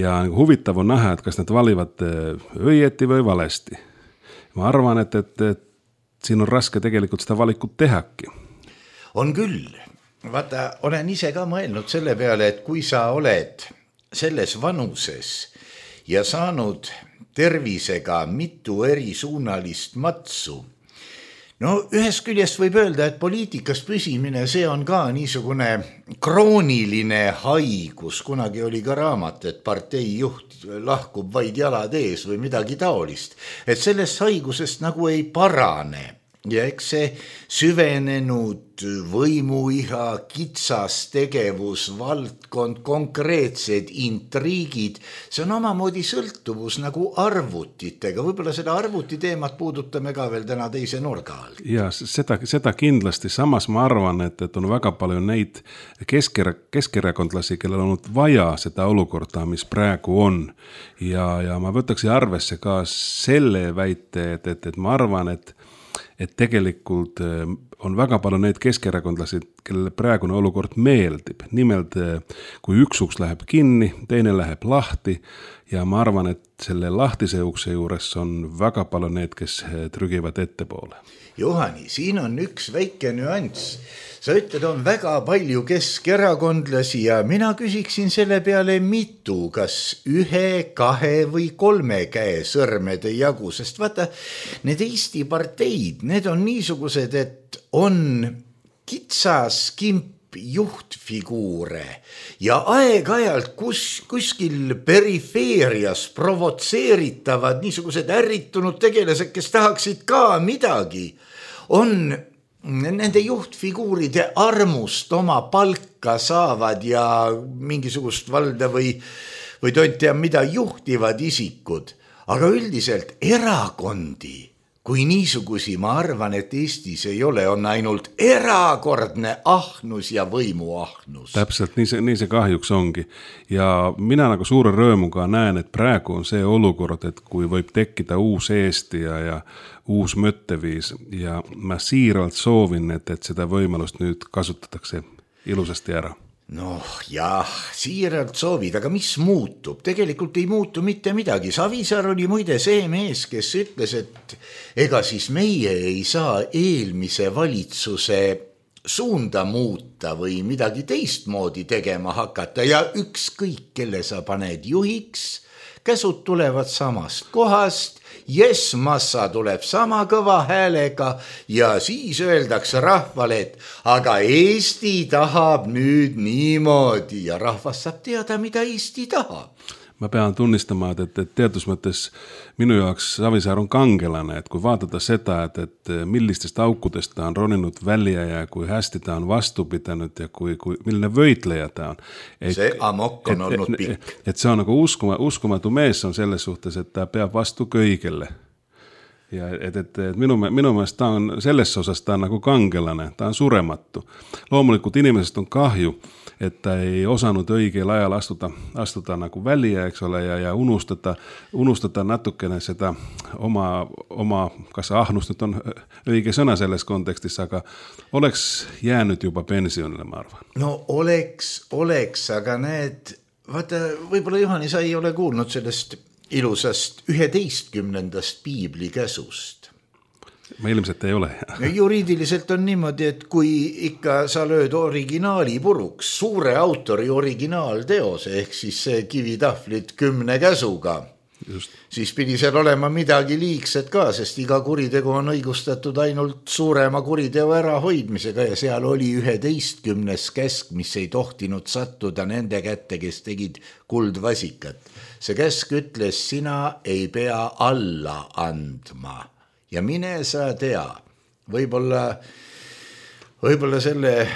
S4: Ja nagu huvitav on näha, et kas need valivad õieti või valesti. Ma arvan, et siin on raske tegelikult seda valikut tehaki.
S3: On küll. Vaata, olen ise ka mõelnud selle peale, et kui sa oled selles vanuses ja saanud tervisega mitu erisuunalist matsu, no ühest küljest võib öelda, et poliitikas püsimine, see on ka niisugune krooniline haigus. Kunagi oli ka raamat, et partei juht lahkub vaid jalad ees või midagi taolist. Et sellest haigusest nagu ei parane. Ja eks see süvenenud võimuiha, kitsas tegevus, valdkond, konkreetsed intriigid, see on omamoodi sõltuvus nagu arvutitega. Võib-olla seda arvutiteemat puudutame ka veel täna teise nurga alt.
S4: Ja seda kindlasti. Samas ma arvan, et on väga palju neid keskerakondlasi, kellel on vaja seda olukorda, mis praegu on. Ja ma võtaks arvesse ka selle väite, et ma arvan, et tegelikult on väga palju neid keskerakondlasi, kellele praegune olukord meeldib. Nimelt, kui üks uks läheb kinni, teine läheb lahti ja ma arvan, et selle lahtise ukse juures on väga palju need, kes trügivad ettepoole.
S3: Juhani, siin on üks väike nüanss. Sa ütled, on väga palju keskerakondlasi ja mina küsiksin selle peale mitu, kas 1, 2 või 3 käe sõrmede jagu, sest vaata, need Eesti parteid, need on niisugused, et on kitsas kimp juhtfiguure ja aeg-ajalt kuskil perifeerias provotseeritavad niisugused ärritunud tegelased, kes tahaksid ka midagi, on nende juhtfiguuride armust oma palka saavad ja mingisugust valda või tontea mida juhtivad isikud. Aga üldiselt erakondi, kui niisugusi, ma arvan, et Eestis ei ole, on ainult erakordne ahnus ja võimuahnus.
S4: Täpselt, nii see kahjuks ongi. Ja mina nagu suure rõõmuga näen, et praegu on see olukord, et kui võib tekkida uus Eesti ja uus mõtteviis ja ma siiralt soovin, et seda võimalust nüüd kasutatakse ilusasti ära.
S3: Noh, jah, siiralt soovid, aga mis muutub? Tegelikult ei muutu mitte midagi. Savisaar oli muide see mees, kes ütles, et ega siis meie ei saa eelmise valitsuse suunda muuta või midagi teistmoodi tegema hakata ja ükskõik, kelle sa paned juhiks, käsud tulevad samast kohast, massa tuleb sama kõva häälega ja siis öeldakse rahvale, et aga Eesti tahab nüüd niimoodi ja rahvas saab teada, mida Eesti tahab.
S4: Ma pean tunnistama, et teatud mõttes minu jaoks Savisaar on kangelane, et kui vaadata seda, et millistest aukudest ta on roninud välja ja kui hästi ta on vastu pidanud ja milline võitleja ta on.
S3: See amok on olnud pikk.
S4: Et see on nagu uskumatu mees on selles suhtes, et ta peab vastu kõigele. Ja et minu meelest ta on selles osas ta on nagu kangelane, ta on surematu. Loomulikult inimesest on kahju, et ta ei osanud õigel ajal astuda nagu välja, eks ole, ja unustada natukene seda oma kas ahnust nüüd on õige sõna selles kontekstis, aga oleks jäänud juba pensionile, ma arvan.
S3: No oleks, aga need, vaata, võib-olla Juhani, sa ei ole kuulnud sellest ilusast 11. piibli käsust.
S4: Ma ilmselt ei ole.
S3: Juriidiliselt on niimoodi, et kui ikka sa lööd originaali puruks, suure autori originaalteose, ehk siis see kivitahvlid 10 käsuga, siis pidi seal olema midagi liigset ka, sest iga kuritegu on õigustatud ainult suurema kuriteo ärahoidmisega ja seal oli 11. käsk, mis ei tohtinud sattuda nende kätte, kes tegid kuldvasikat. See käsk ütles, sina ei pea alla andma ja mine sa tea. Võib-olla selle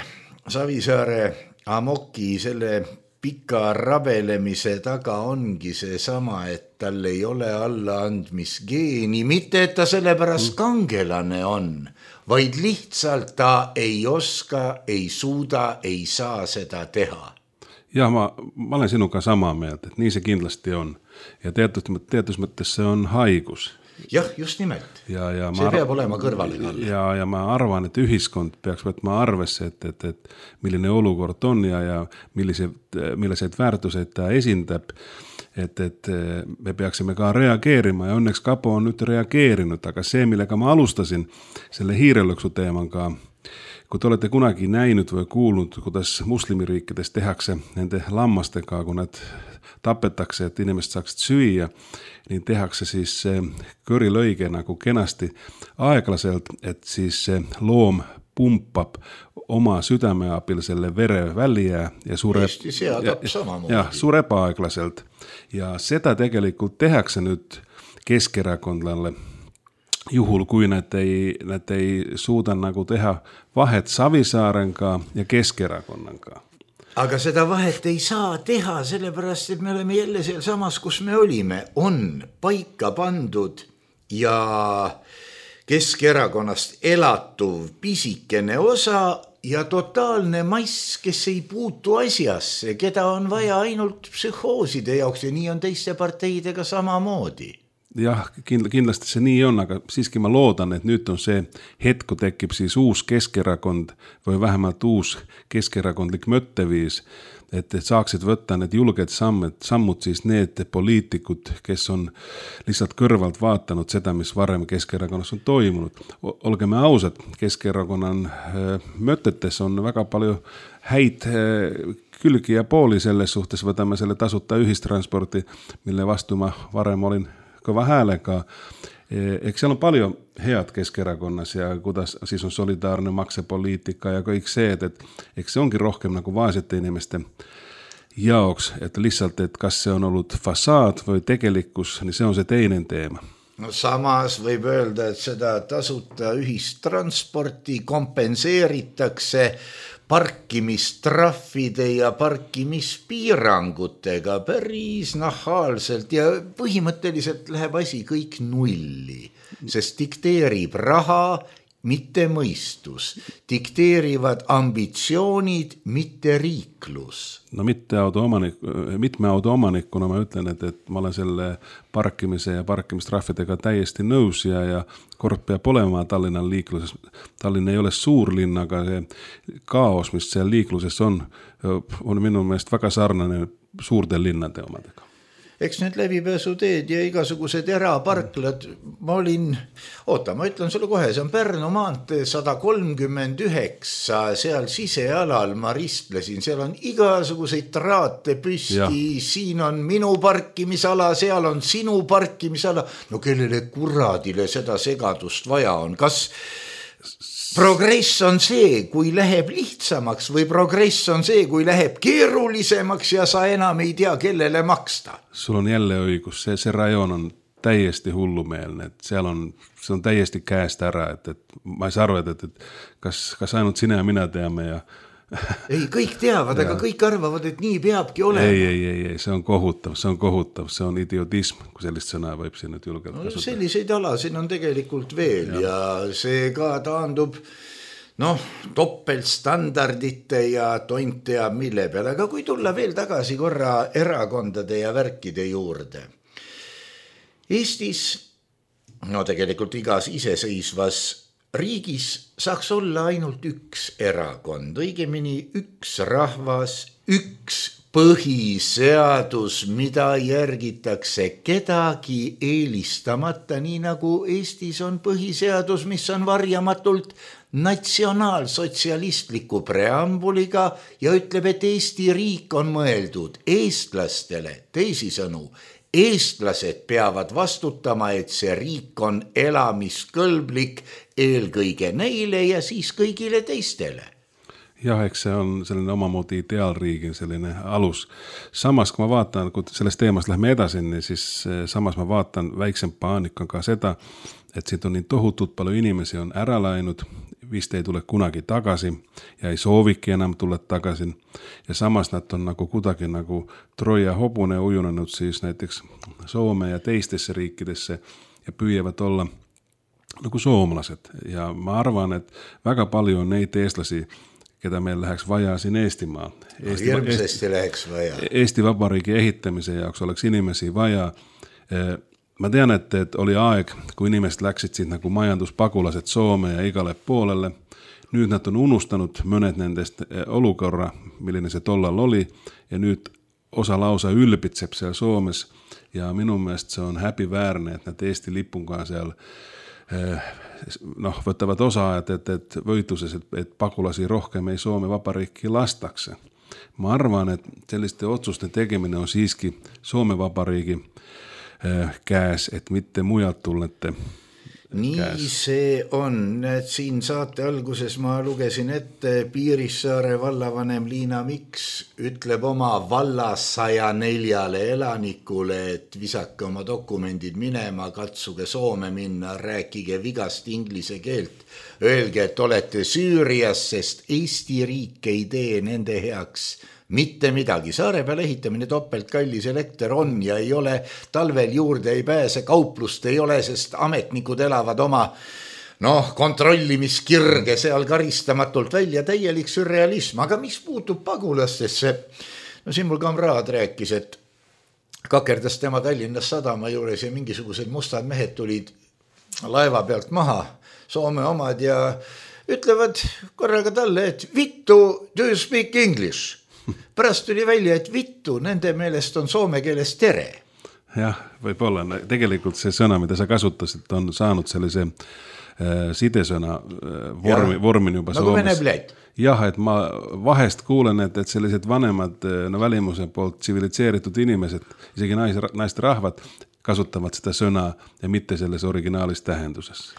S3: Savisaare Amoki, selle pika rabelemise taga ongi see sama, et tal ei ole allaandmisgeeni, mitte et ta sellepärast kangelane on, vaid lihtsalt ta ei oska, ei suuda, ei saa seda teha.
S4: Ja ma olen sinuga sama meelt, et nii see kindlasti on. Ja teatud mõttes see on haigus.
S3: Jah, just nimelt. See peab olema kõrvale talle.
S4: Ja ma arvan, et ühiskond peaks võtma arvesse, et milline olukord on ja milliseid väärtuseid ta esindab, et me peaksime ka reageerima ja õnneks Kapo on nüüd reageerinud, aga see, millega ma alustasin selle hiirelõksu teemaga, kui te olete kunagi näinud või kuulnud, kuidas muslimiriikides tehakse nende lammastega, kui nad tapetakse, et inimesed saaksid süüa, niin tehakse siis körilõige nagu kenasti aeglaselt, et siis loom pumpab oma südame abil selle vere välja ja sureb aeglaselt. Ja seda tegelikult tehakse nüüd keskerakondlalle, juhul kui nad ei suuda nagu teha vahet Savisaarenga ja Keskerakonnaga.
S3: Aga seda vahet ei saa teha, sellepärast, et me oleme jälle seal samas, kus me olime, on paika pandud ja Keskerakonnast elatuv pisikene osa ja totaalne mass, kes ei puutu asjasse, keda on vaja ainult psühhooside jaoks ja nii on teiste parteidega samamoodi.
S4: Jah, kindlasti see nii on, aga siiski ma loodan, et nüüd on see hetk, kui tekib siis uus Keskerakond või vähemalt uus keskerakondlik mõtteviis, et saaksid võtta need julged sammud siis need poliitikud, kes on lihtsalt kõrvalt vaatanud seda, mis varem Keskerakonnas on toimunud. Olgeme ausad, Keskerakonna mõtetes on väga palju häid külgi ja pooli selles suhtes, võtame selle tasuta ühistransporti, mille vastu ma varem olin kõva häälega. Eks seal on palju head Keskerakonnas ja kuidas siis on solidaarne maksepoliitika ja kõik see, et eks see ongi rohkem nagu vaesete inimeste jaoks, et lihtsalt, et kas see on olnud fasaad või tegelikkus, niin see on see teine teema.
S3: No samas võib öelda, et seda tasuta ühistransporti kompenseeritakse parkimistraffide ja parkimispiirangutega päris nahaalselt ja põhimõtteliselt läheb asi kõik nulli, sest dikteerib raha, mitte mõistus, dikteerivad ambitsioonid, mitte riiklus.
S4: No mitme autoomanikuna ma ütlen, et ma olen selle parkimise ja parkimistraffidega täiesti nõus ja kord peab olema Tallinnan liikluses. Tallinn ei ole suur linn, aga see kaos, mis seal liikluses on minu meelest väga sarnane suurte linnade omadega.
S3: Eks need läbipääsuteed ja igasugused eraparklad, ma ütlen sulle kohe, see on Pärnu maantee 139, seal sisealal ma ristlesin, seal on igasuguseid traate püsti, siin on minu parkimisala, seal on sinu parkimisala, no kellele kuradile seda segadust vaja on, kas progress on see, kui läheb lihtsamaks või progress on see, kui läheb keerulisemaks ja sa enam ei tea, kellele maksta.
S4: Sul on jälle õigus, see rajoon on täiesti hullumeelne, et see on täiesti käest ära, et ma ei saa aru, et kas ainult sina ja mina teame ja
S3: ei, kõik teavad, aga kõik arvavad, et nii peabki olema.
S4: Ei, see on kohutav, see on idiotism, kui sellist sõna võib siin nüüd julgelt kasutada.
S3: Selliseid alasid on tegelikult veel ja see ka taandub topeltstandardite ja tont teab mille peale, aga kui tulla veel tagasi korra erakondade ja värkide juurde. Eestis, tegelikult igas iseseisvas riigis saaks olla ainult üks erakond, õigemini üks rahvas, üks põhiseadus, mida järgitakse kedagi eelistamata, nii nagu Eestis on põhiseadus, mis on varjamatult natsionaalsotsialistliku preambuliga ja ütleb, et Eesti riik on mõeldud eestlastele, teisisõnu, eestlased peavad vastutama, et see riik on elamiskõlblik eelkõige neile ja siis kõigile teistele.
S4: Jah, eks see on selline omamoodi ideaalriigi selline alus. Samas, kui ma vaatan, kui sellest teemast lähme edasi, siis samas ma vaatan väiksem paanik on ka seda, et siit on nii tohutult palju inimesi on ära läinud, vist ei tule kunagi tagasi ja ei sooviki enam tulla tagasi. Ja samas nad on nagu kuidagi nagu Troja hobune ujunenud siis näiteks Soome ja teistesse riikidesse ja püüavad olla nagu soomlased. Ja ma arvan, et väga palju on neid eestlasi, keda meil läheks vaja siin Eestimaal.
S3: Järgmisesti läheks vaja.
S4: Eesti Vabariigi ehitamise jaoks oleks inimesi vaja. Ma tean, et oli aeg, kui inimesed läksid siit nagu majanduspagulased Soome ja igale poolelle. Nüüd nad on unustanud mõned nendest olukorra, milline see tollal oli ja nüüd osa lausa ülbitseb seal Soomes ja minu meelest see on häbiväärne, et nad Eesti lipunga seal võtavad osa, et võitluses, et pagulasi rohkem ei Soome Vabariiki lastakse. Ma arvan, et selliste otsuste tegemine on siiski Soome Vabariigi käes, et mitte mujalt tullete
S3: nii käes. See on, et siin saate alguses ma lugesin ette Piirissaare vallavanem Liina Miks ütleb oma valla 104 elanikule, et visake oma dokumendid minema, katsuge Soome minna, rääkige vigast inglise keelt, öelge, et olete Süürias, sest Eesti riik ei tee nende heaks mitte midagi. Saare peal ehitamine topelt kallis, elekter on ja ei ole, talvel juurde ei pääse, kauplust ei ole, sest ametnikud elavad oma kontrollimiskirge seal karistamatult välja, täielik surrealism. Aga mis puutub pagulastesse? Siin mul kamraad rääkis, et kakerdas tema Tallinnas sadama juures ja mingisugused mustad mehed tulid laeva pealt maha, Soome omad, ja ütlevad korraga talle, et vittu, do you speak English? Pärast tuli välja, et vittu, nende meelest on soome keeles tere.
S4: Jah, võib-olla. Tegelikult see sõna, mida sa kasutasid, on saanud sellise sidesõna vormin juba
S3: nagu
S4: Soomes. Jah, et ma vahest kuulen, et sellised vanemad välimuse poolt tsiviliseeritud inimesed, isegi naiste rahvad, kasutavad seda sõna ja mitte selles originaalis tähenduses.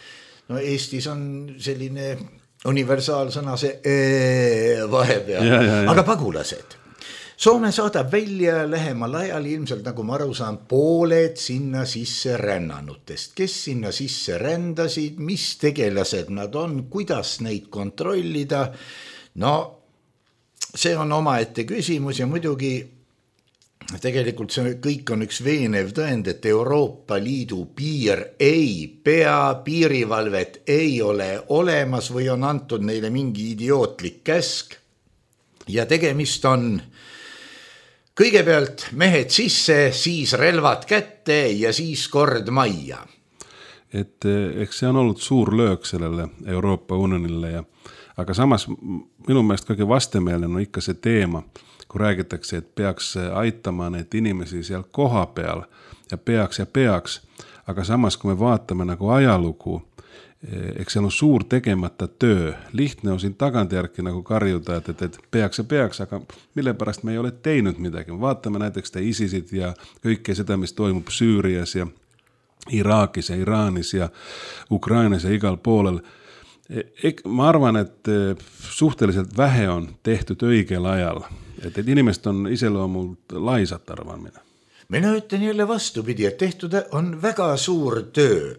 S3: No Eestis on selline universaalsõna see vahepeal, aga pagulased. Soome saadab välja lähemal ajal ilmselt, nagu ma aru saan, pooled sinna sisse rännanutest. Kes sinna sisse rändasid, mis tegelased nad on, kuidas neid kontrollida? See on omaette küsimus ja muidugi tegelikult see kõik on üks veenev tõend, et Euroopa Liidu piir ei pea, piirivalvet ei ole olemas või on antud neile mingi idiootlik käsk. Ja tegemist on kõigepealt mehed sisse, siis relvad kätte ja siis kord majja.
S4: Eks see on olnud suur löök sellele Euroopa Unionille, aga samas minu meelest kõige vastemeelne on ikka see teema, kui räägitakse, et peaks aitama need inimesi seal koha peal ja peaks, aga samas kui me vaatame nagu ajalugu, eks seal on suur tegemata töö. Lihtne on siin tagantjärgi nagu karjuda, et peaks, aga mille pärast me ei ole teinud midagi. Vaatame näiteks ISISid ja kõike seda, mis toimub Süürias ja Iraakis ja Iraanis ja Ukrainas ja igal poolel. Ma arvan, et suhteliselt vähe on tehtud õigel ajal. Et inimest on iseloomult laisat arvan mina.
S3: Mina ütlen jälle vastupidi, et tehtud on väga suur töö.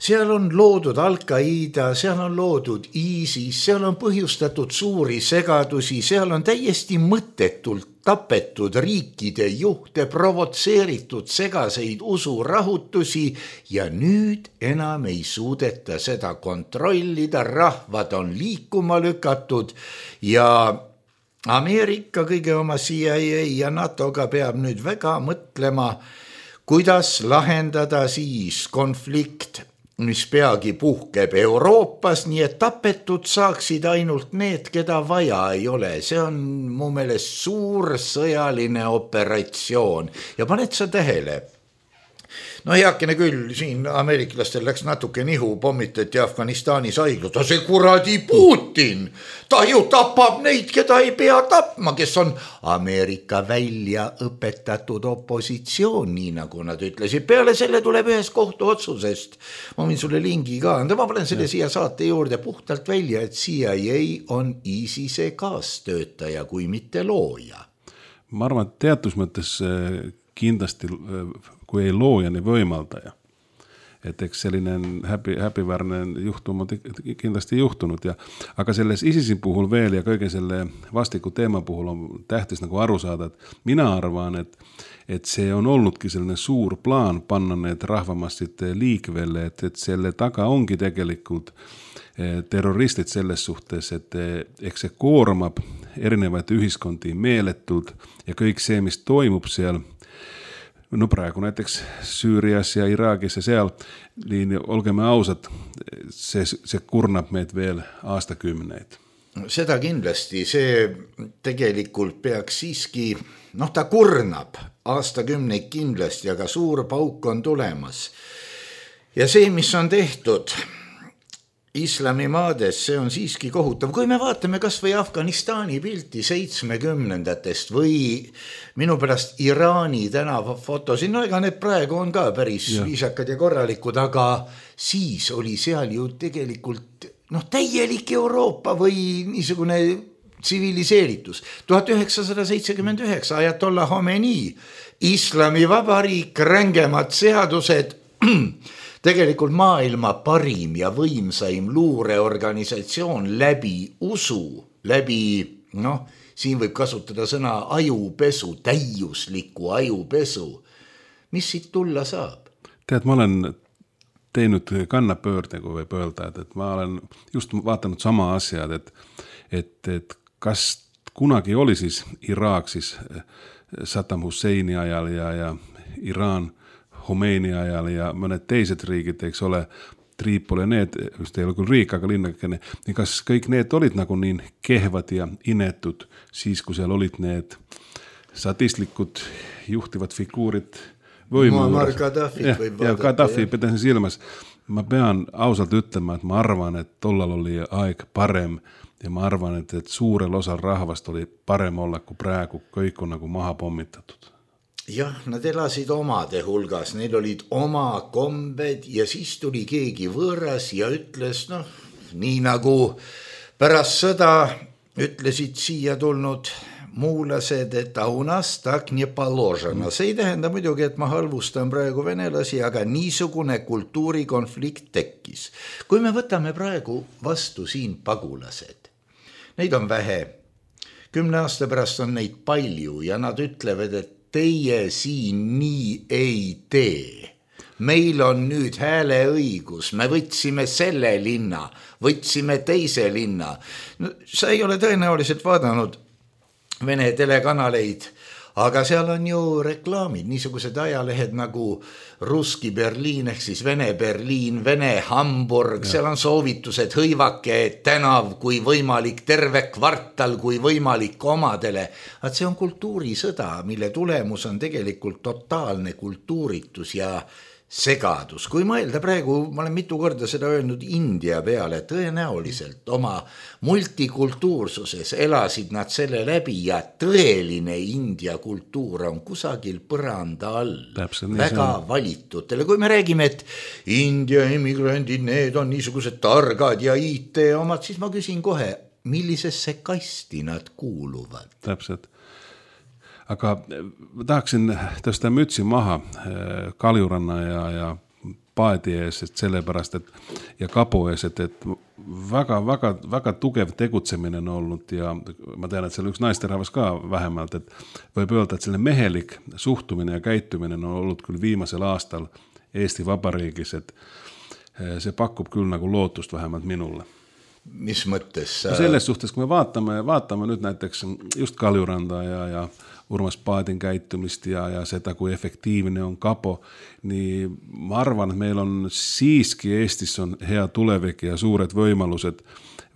S3: Seal on loodud Al-Qaida, seal on loodud ISIS, seal on põhjustatud suuri segadusi, seal on täiesti mõttetult tapetud riikide juhte, provotseeritud segaseid usurahutusi ja nüüd enam ei suudeta seda kontrollida, rahvad on liikuma lükatud ja Ameerika kõige oma CIA ja NATO-ga peab nüüd väga mõtlema, kuidas lahendada siis konflikt mis peagi puhkeb Euroopas, nii et tapetud saaksid ainult need, keda vaja ei ole. See on mu meelest suur sõjaline operatsioon ja paned sa tähele. No heakene küll, siin ameeriklastel läks natuke nihu, pommitati Afganistanis haiglad, see kuradi Putin, ta ju tapab neid, keda ei pea tapma, kes on Ameerika välja õpetatud opositsioon, nii nagu nad ütlesid. Peale selle tuleb ühes kohtuotsusest, ma võin sulle lingi ka anda, ma panen selle siia saate juurde puhtalt välja, et CIA on ISISe kaastöötaja, kui mitte looja.
S4: Ma arvan, et teatud mõttes kindlasti kui ei looja, niin võimaldaja. Et eks selline häbiväärne juhtum on kindlasti juhtunut. Aga selles ISISin puhul veel ja kõige selle vastiku teema puhul on tähtis nagu aru saada, et mina arvan, et see on olnudki selline suur plaan panna need rahvamassid liikvelle, et selle taga ongi tegelikult terroristid selles suhtes, et eks see koormab erinevaid ühiskondi meeletult ja kõik see, mis toimub seal, no praegu näiteks Süürias ja Iraagis ja seal, niin olgeme ausad, see kurnab meid veel aastakümneid.
S3: Seda kindlasti, see tegelikult peaks siiski, ta kurnab aastakümneid kindlasti, aga suur pauk on tulemas. Ja see, mis on tehtud islamimaades, see on siiski kohutav. Kui me vaatame kas või Afganistani pilti 70-ndatest või minu pärast Iraani tänavafotosid, no ega need praegu on ka päris viisakad ja korralikud, aga siis oli seal ju tegelikult täielik Euroopa või niisugune tsiviliseeritus. 1979 Ajatollah Khomeini, Islamivabariik, rängemad seadused, tegelikult maailma parim ja võimsaim luureorganisatsioon läbi usu, läbi, siin võib kasutada sõna ajupesu, täiusliku ajupesu. Mis siit tulla saab?
S4: Tead, ma olen teinud kannapöörde, kui võib öelda, et ma olen just vaatanud sama asjad, et kas kunagi oli siis Iraak siis Saddam Husseini ajal ja Iraan Khomeini ajal ja mõned teised riigid, eks ole, Tripoli, need, just ei ole küll riik, aga linnakene, niin kas kõik need olid nagu niin kehvad ja inetud siis, kui seal olid need sadistlikud juhtivad figuurid
S3: Muammar Gaddafit võib vaadata.
S4: Ja Gaddafi pitäisin silmässä. Mä pean ausalt ütlema, että mä arvan, että tollal oli aika parem ja mä arvan, että suurella osalla rahvasta oli parem olla kuin praegu, kõik on nagu maha pommitatut.
S3: Jah, nad elasid omade hulgas, neil olid oma kombed ja siis tuli keegi võõras ja ütles, nii nagu pärast sõda ütlesid siia tulnud muulased, et у нас так не положено. See ei tähenda muidugi, et ma halvustan praegu venelasi, aga niisugune kultuurikonflikt tekkis. Kui me võtame praegu vastu siin pagulased, neid on vähe, 10 aasta pärast on neid palju ja nad ütlevad, et teie siin nii ei tee. Meil on nüüd hääleõigus, me võtsime selle linna, võtsime teise linna. Sa ei ole tõenäoliselt vaadanud Vene telekanaleid, aga seal on ju reklaamid, niisugused ajalehed nagu Ruski Berliin ehk siis Vene Berliin, Vene Hamburg, seal on soovitused hõivake tänav kui võimalik, terve kvartal kui võimalik omadele. Et see on kultuurisõda, mille tulemus on tegelikult totaalne kultuuritus ja segadus. Kui mõelda praegu, ma olen mitu korda seda öelnud India peale, tõenäoliselt oma multikultuursuses elasid nad selle läbi ja tõeline India kultuur on kusagil põranda all. Väga valitutele. Kui me räägime, et India emigrandid, need on niisugused targad ja IT omad, siis ma küsin kohe, millisesse kasti nad kuuluvad?
S4: Täpselt. Aga tahaksin tõsta mütsi maha Kaljuranna ja paadi ees, et sellepärast, et ja kapo ees, et väga tugev tegutsemine on olnud ja ma tean, et seal üks naisterahvas ka vähemalt, et võib öelda, et selline mehelik suhtumine ja käitumine on olnud küll viimasel aastal Eesti Vabariigis, et see pakub küll nagu lootust vähemalt minule.
S3: mis mõttes?
S4: No selles suhtes, kui me vaatame nüüd näiteks just Kaljuranda ja Urmas Paadin käitumist ja seda, kui efektiivne on kapo, nii ma arvan, et meil on siiski Eestis on hea tulevik ja suured võimalused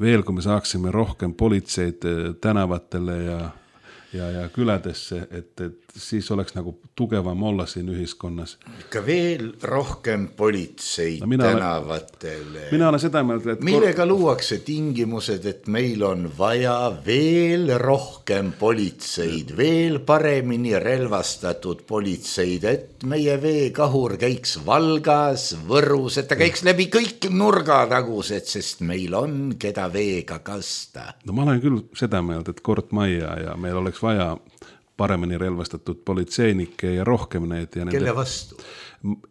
S4: veel, kui me saaksime rohkem politseid tänavatele ja küladesse, et siis oleks nagu tugevam olla siin ühiskonnas.
S3: Ikka veel rohkem politseid tänavatele.
S4: Mina olen seda meelt, et
S3: millega luuakse tingimused, et meil on vaja veel rohkem politseid, veel paremini relvastatud politseid, et meie veekahur käiks Valgas, Võrus, et ta käiks läbi kõik nurgatagused, sest meil on keda veega kasta.
S4: No ma olen küll seda meelt, et kord majja ja meil oleks vaja paremini relvastatud politseinikke ja rohkem neid. Ja
S3: kelle vastu?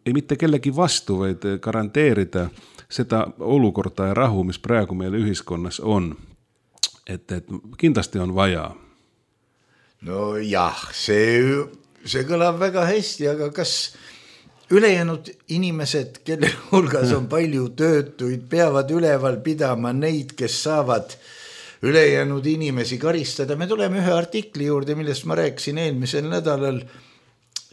S4: Ei mitte kellegi vastu, vaid garanteerida seda olukorda ja rahu, mis praegu meil ühiskonnas on. Et kindlasti on vaja.
S3: No jah, see kõlab väga hästi, aga kas ülejäänud inimesed, kelle hulgas on palju töötuid, peavad üleval pidama neid, kes saavad ülejäänud inimesi karistada? Me tuleme ühe artikli juurde, millest ma rääkisin eelmisel nädalal.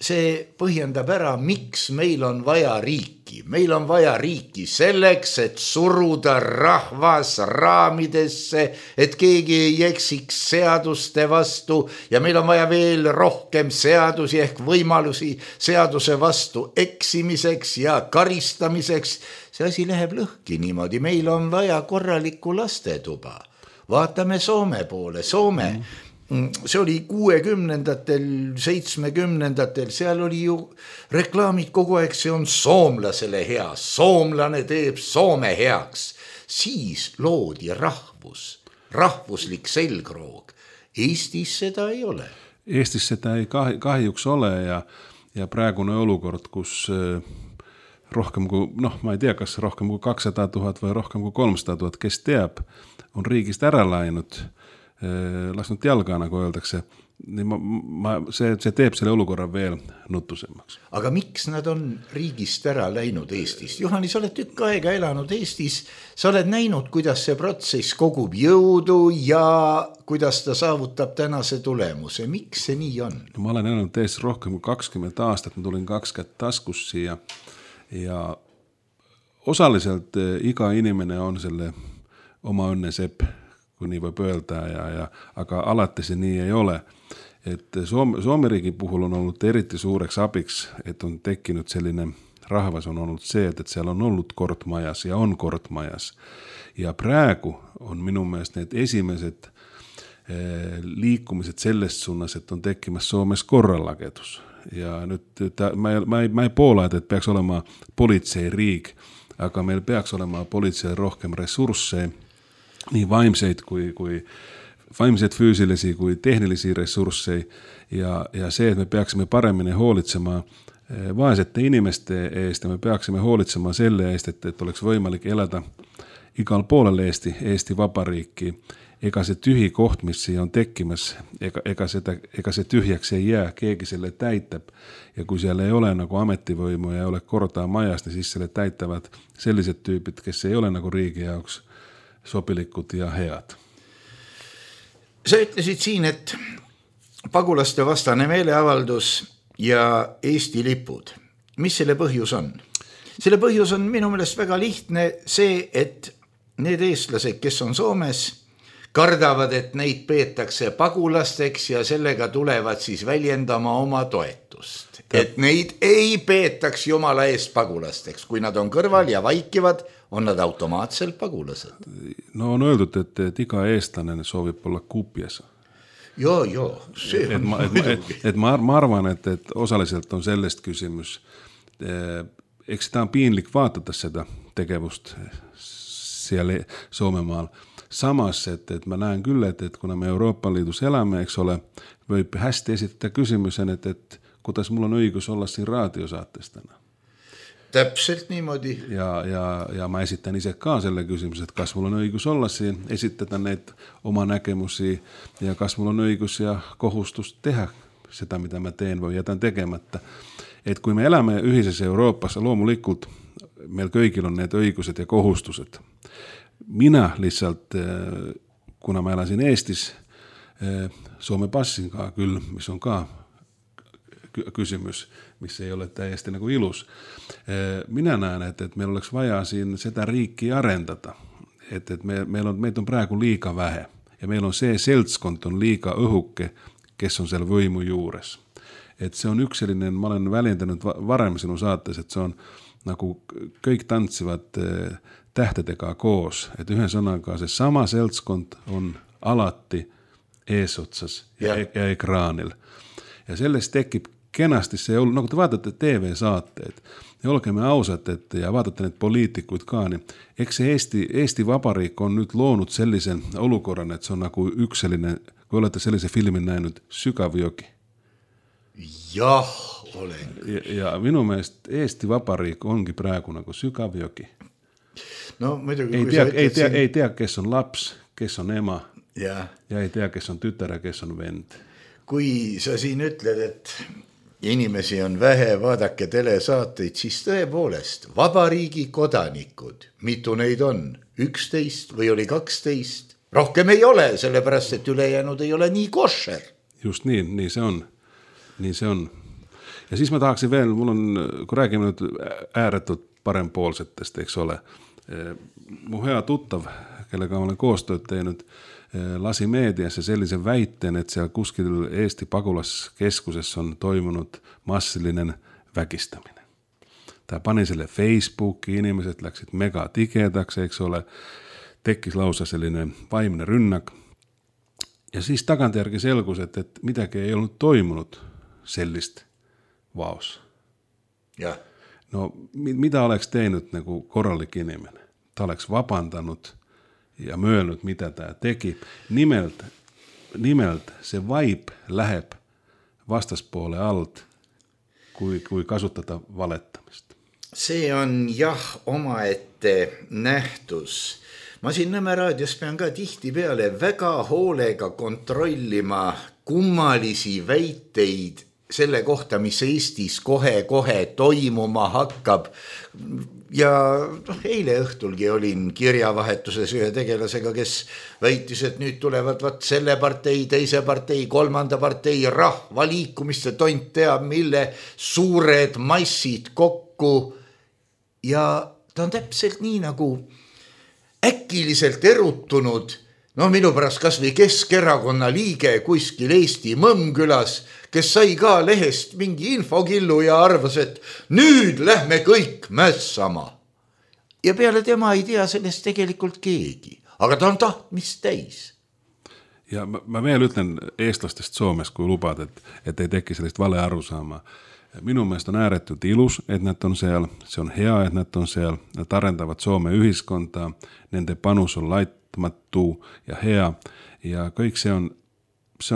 S3: See põhjendab ära, miks meil on vaja riiki. Meil on vaja riiki selleks, et suruda rahvas raamidesse, et keegi ei eksiks seaduste vastu ja meil on vaja veel rohkem seadusi ehk võimalusi seaduse vastu eksimiseks ja karistamiseks. See asi läheb lõhki niimoodi. Meil on vaja korralikku lastetuba. Vaatame Soome poole. Soome, see oli 60-ndatel, 70-ndatel, seal oli ju reklaamid kogu aeg, see on soomlasele hea, soomlane teeb Soome heaks. Siis loodi rahvuslik selgroog. Eestis seda ei ole.
S4: Eestis seda ei kahjuks ole ja praegune olukord, kus rohkem kui, ma ei tea, kas rohkem kui 200 000 või rohkem kui 300 000, kes teab, on riigist ära läinud, lasknud jalga, nagu öeldakse. See teeb selle olukorra veel nutusemaks.
S3: Aga miks nad on riigist ära läinud Eestist? Juhani, sa oled tükk aega elanud Eestis, sa oled näinud, kuidas see protsess kogub jõudu ja kuidas ta saavutab tänase tulemuse. Miks see nii on?
S4: Ma olen elanud Eestis rohkem kui 20 aastat, ma tulin 2 kätt taskus siia ja osaliselt iga inimene on selle oma õnne sepp, kui nii võib öelda, aga alati see nii ei ole. Et Soome riigi puhul on olnud eriti suureks abiks, et on tekkinud selline rahvas on olnud see, et seal on olnud kord majas ja on kord majas. Ja praegu on minu meelest need esimesed liikumised sellest suunas, et on tekkimas Soomes korralagedus. Ja nüüd ma ei poola, et peaks olema politseiriik, aga meil peaks olema politsei rohkem ressursse, nii vaimseid füüsilisi kui tehnilisi ressursse ja see, et me peaksime paremini hoolitsema vaesete inimeste eest ja me peaksime hoolitsema selle eest, et oleks võimalik elada igal poolel Eesti Vabariiki. Ega see tühi koht, mis siia on tekkimas, ega see tühjaks ei jää, keegi selle täitab ja kui seal ei ole nagu ametivõimu ja ei ole korda majas, siis selle täitavad sellised tüübid, kes ei ole nagu riigi jaoks sobilikud ja head.
S3: Sa ütlesid siin, et pagulaste vastane meeleavaldus ja Eesti lipud. Mis selle põhjus on? Selle põhjus on minu meelest väga lihtne see, et need eestlased, kes on Soomes, kardavad, et neid peetakse pagulasteks ja sellega tulevad siis väljendama oma toetust. Et neid ei peetaks jumala eest pagulasteks. Kui nad on kõrval ja vaikivad, on nad automaatselt pagulased.
S4: No on öeldud, et iga eestlane soovib olla kupjas.
S3: Joo, see on muidugi.
S4: Ma arvan, et osaliselt on sellest küsimus. Eks seda on piinlik vaatada seda tegevust seal Soomemaal. Samas, et ma näen küll, et kuna me Euroopa Liidus elame, eks ole, võib hästi esitada küsimusen, et kuidas mul on õigus olla siin raadiosaates täna.
S3: Täpselt niimoodi.
S4: Ja ma esitan ise ka selle küsimuse, et kas mul on õigus olla siin, esitada need oma nägemusi ja kas mul on õigus ja kohustus teha seda, mida ma teen või jätan tegemata. Et kui me elame ühises Euroopas, loomulikult meil kõigil on need õigused ja kohustused. Mina lihtsalt, kuna mä elasin Eestis, Suomen passin kanssa kyllä, missä on ka kysymys, missä ei ole täyesti niin kuin ilus. Minä näen, että meillä oleks vajaa siinä sitä riikkiä arendata. Että meitä on praegu liika vähe. Ja meillä on se seltskont on liika õhukke, kes on siellä võimu juures. Että se on yksilinen, mä olen väljentänyt varemmin sinun saatteessa, että se on nagu kõik tanssivat tähtetekaa koos. Että yhden sanankaan se sama seltskont on alatti eesotsas ja ekraanilla. Ja selles tekib kenasti se, no kun te vaatatte TV-saatteet, ja olkemme ausat, ja vaatatte näitä poliitikuit kaa, niin eikö se Eesti Vapariik on nyt loonut sellaisen olukorran, että se on nagu yksilinen, kun olette sellaisen filmin näinyt Sykavjoki?
S3: Jah, olen.
S4: Ja minun mielestä Eesti Vapariik onkin praegu nagu Sykavjoki.
S3: No, muidugi,
S4: ei tiedä, kes on laps, kes on ema,
S3: ja
S4: ei tiedä, kes on tytär ja kes on vend.
S3: Kui sa siin ütled, et inimesi on vähe, vaadake telesaateid, siis tõepoolest vabariigi kodanikud, mitu neid on, 11 või oli 12, rohkem ei ole, sellepärast, et ülejäänud ei ole nii košer.
S4: Just niin se on. Niin se on. Ja siis mä tahaksin vielä, mulla on, kun räägime nyt ääretut parempuolisettestä, eikö ole? Mun hea tuttav, kellega olen koostoit teinyt, lasi mediassa sellaisen väitteen, että siellä kuskilla Eesti pakolaskeskusessa on toimunut massillinen väkistäminen. Tämä pani sille Facebookiin, ihmiset läksit mega tiketaksi, eikö ole? Tekkis lausa sellainen vaiminen rynnäk. Ja siis takantjärki selkus, että mitäkin ei ollut toimunut sellistä vaos.
S3: Ja.
S4: No, mitä oleks teinyt niin kuin korallikiniminen? Tämä oleks vapantanut ja myönnyt, mitä tämä teki. Nimeltä se vibe läheb vastaspuolen alt, kui kasutada valettamista.
S3: See on jah omaette nähtus. Ma siin Nõmme raadios pean ka tihtipeale väga hoolega kontrollima kummalisi väiteid selle kohta, mis Eestis kohe toimuma hakkab. Ja eile õhtulgi olin kirjavahetuses ühe tegelasega, kes väitis, et nüüd tulevad selle partei, teise partei, kolmanda partei rahvaliikumiste tont teab, mille suured massid kokku. Ja ta on täpselt nii nagu äkiliselt erutunud, no minu pärast kas või Keskerakonna liige kuskil Eesti Mõmmkülas, kes sai ka lehest mingi infokillu ja arvas, et nüüd lähme kõik mässama. Ja peale tema ei tea sellest tegelikult keegi, aga ta on tahtmist täis.
S4: Ja mä vielä ütlen eestlastest Suomessa, kun lupaat, että ei teki sellaista valearvosaamaa. Minun mielestä on äärettömän ilus, että näitä on siellä. Se on hea, että näitä on siellä. Ne tarentavat Suomen yhdiskontaa. Nende panus on laittamattu ja hea. Ja kõik se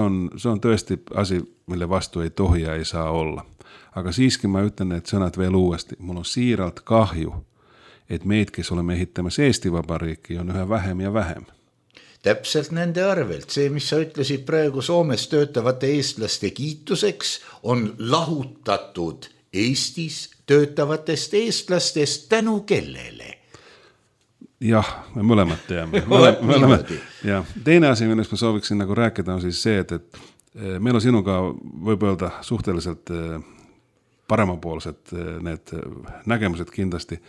S4: on työsti asia, mille vastu ei tohja ei saa olla. Aga siiski mä ytän need sõnad veel uuesti. Mulla on siiralt kahju, että meid, kes olemme ehittämässä Eesti Vabariiki, on üha vähem ja vähem.
S3: Täpselt nende arvelt. See, mis sa ütlesid praegu Soomes töötavate eestlaste kiituseks, on lahutatud Eestis töötavatest eestlastest tänu kellele.
S4: Jah, me mõlemad teame. Ja teine asia, millest ma sooviksin nagu rääkida, on siis see, et meil on sinuga võib öelda suhteliselt paremapoolsed need nägemused kindlasti.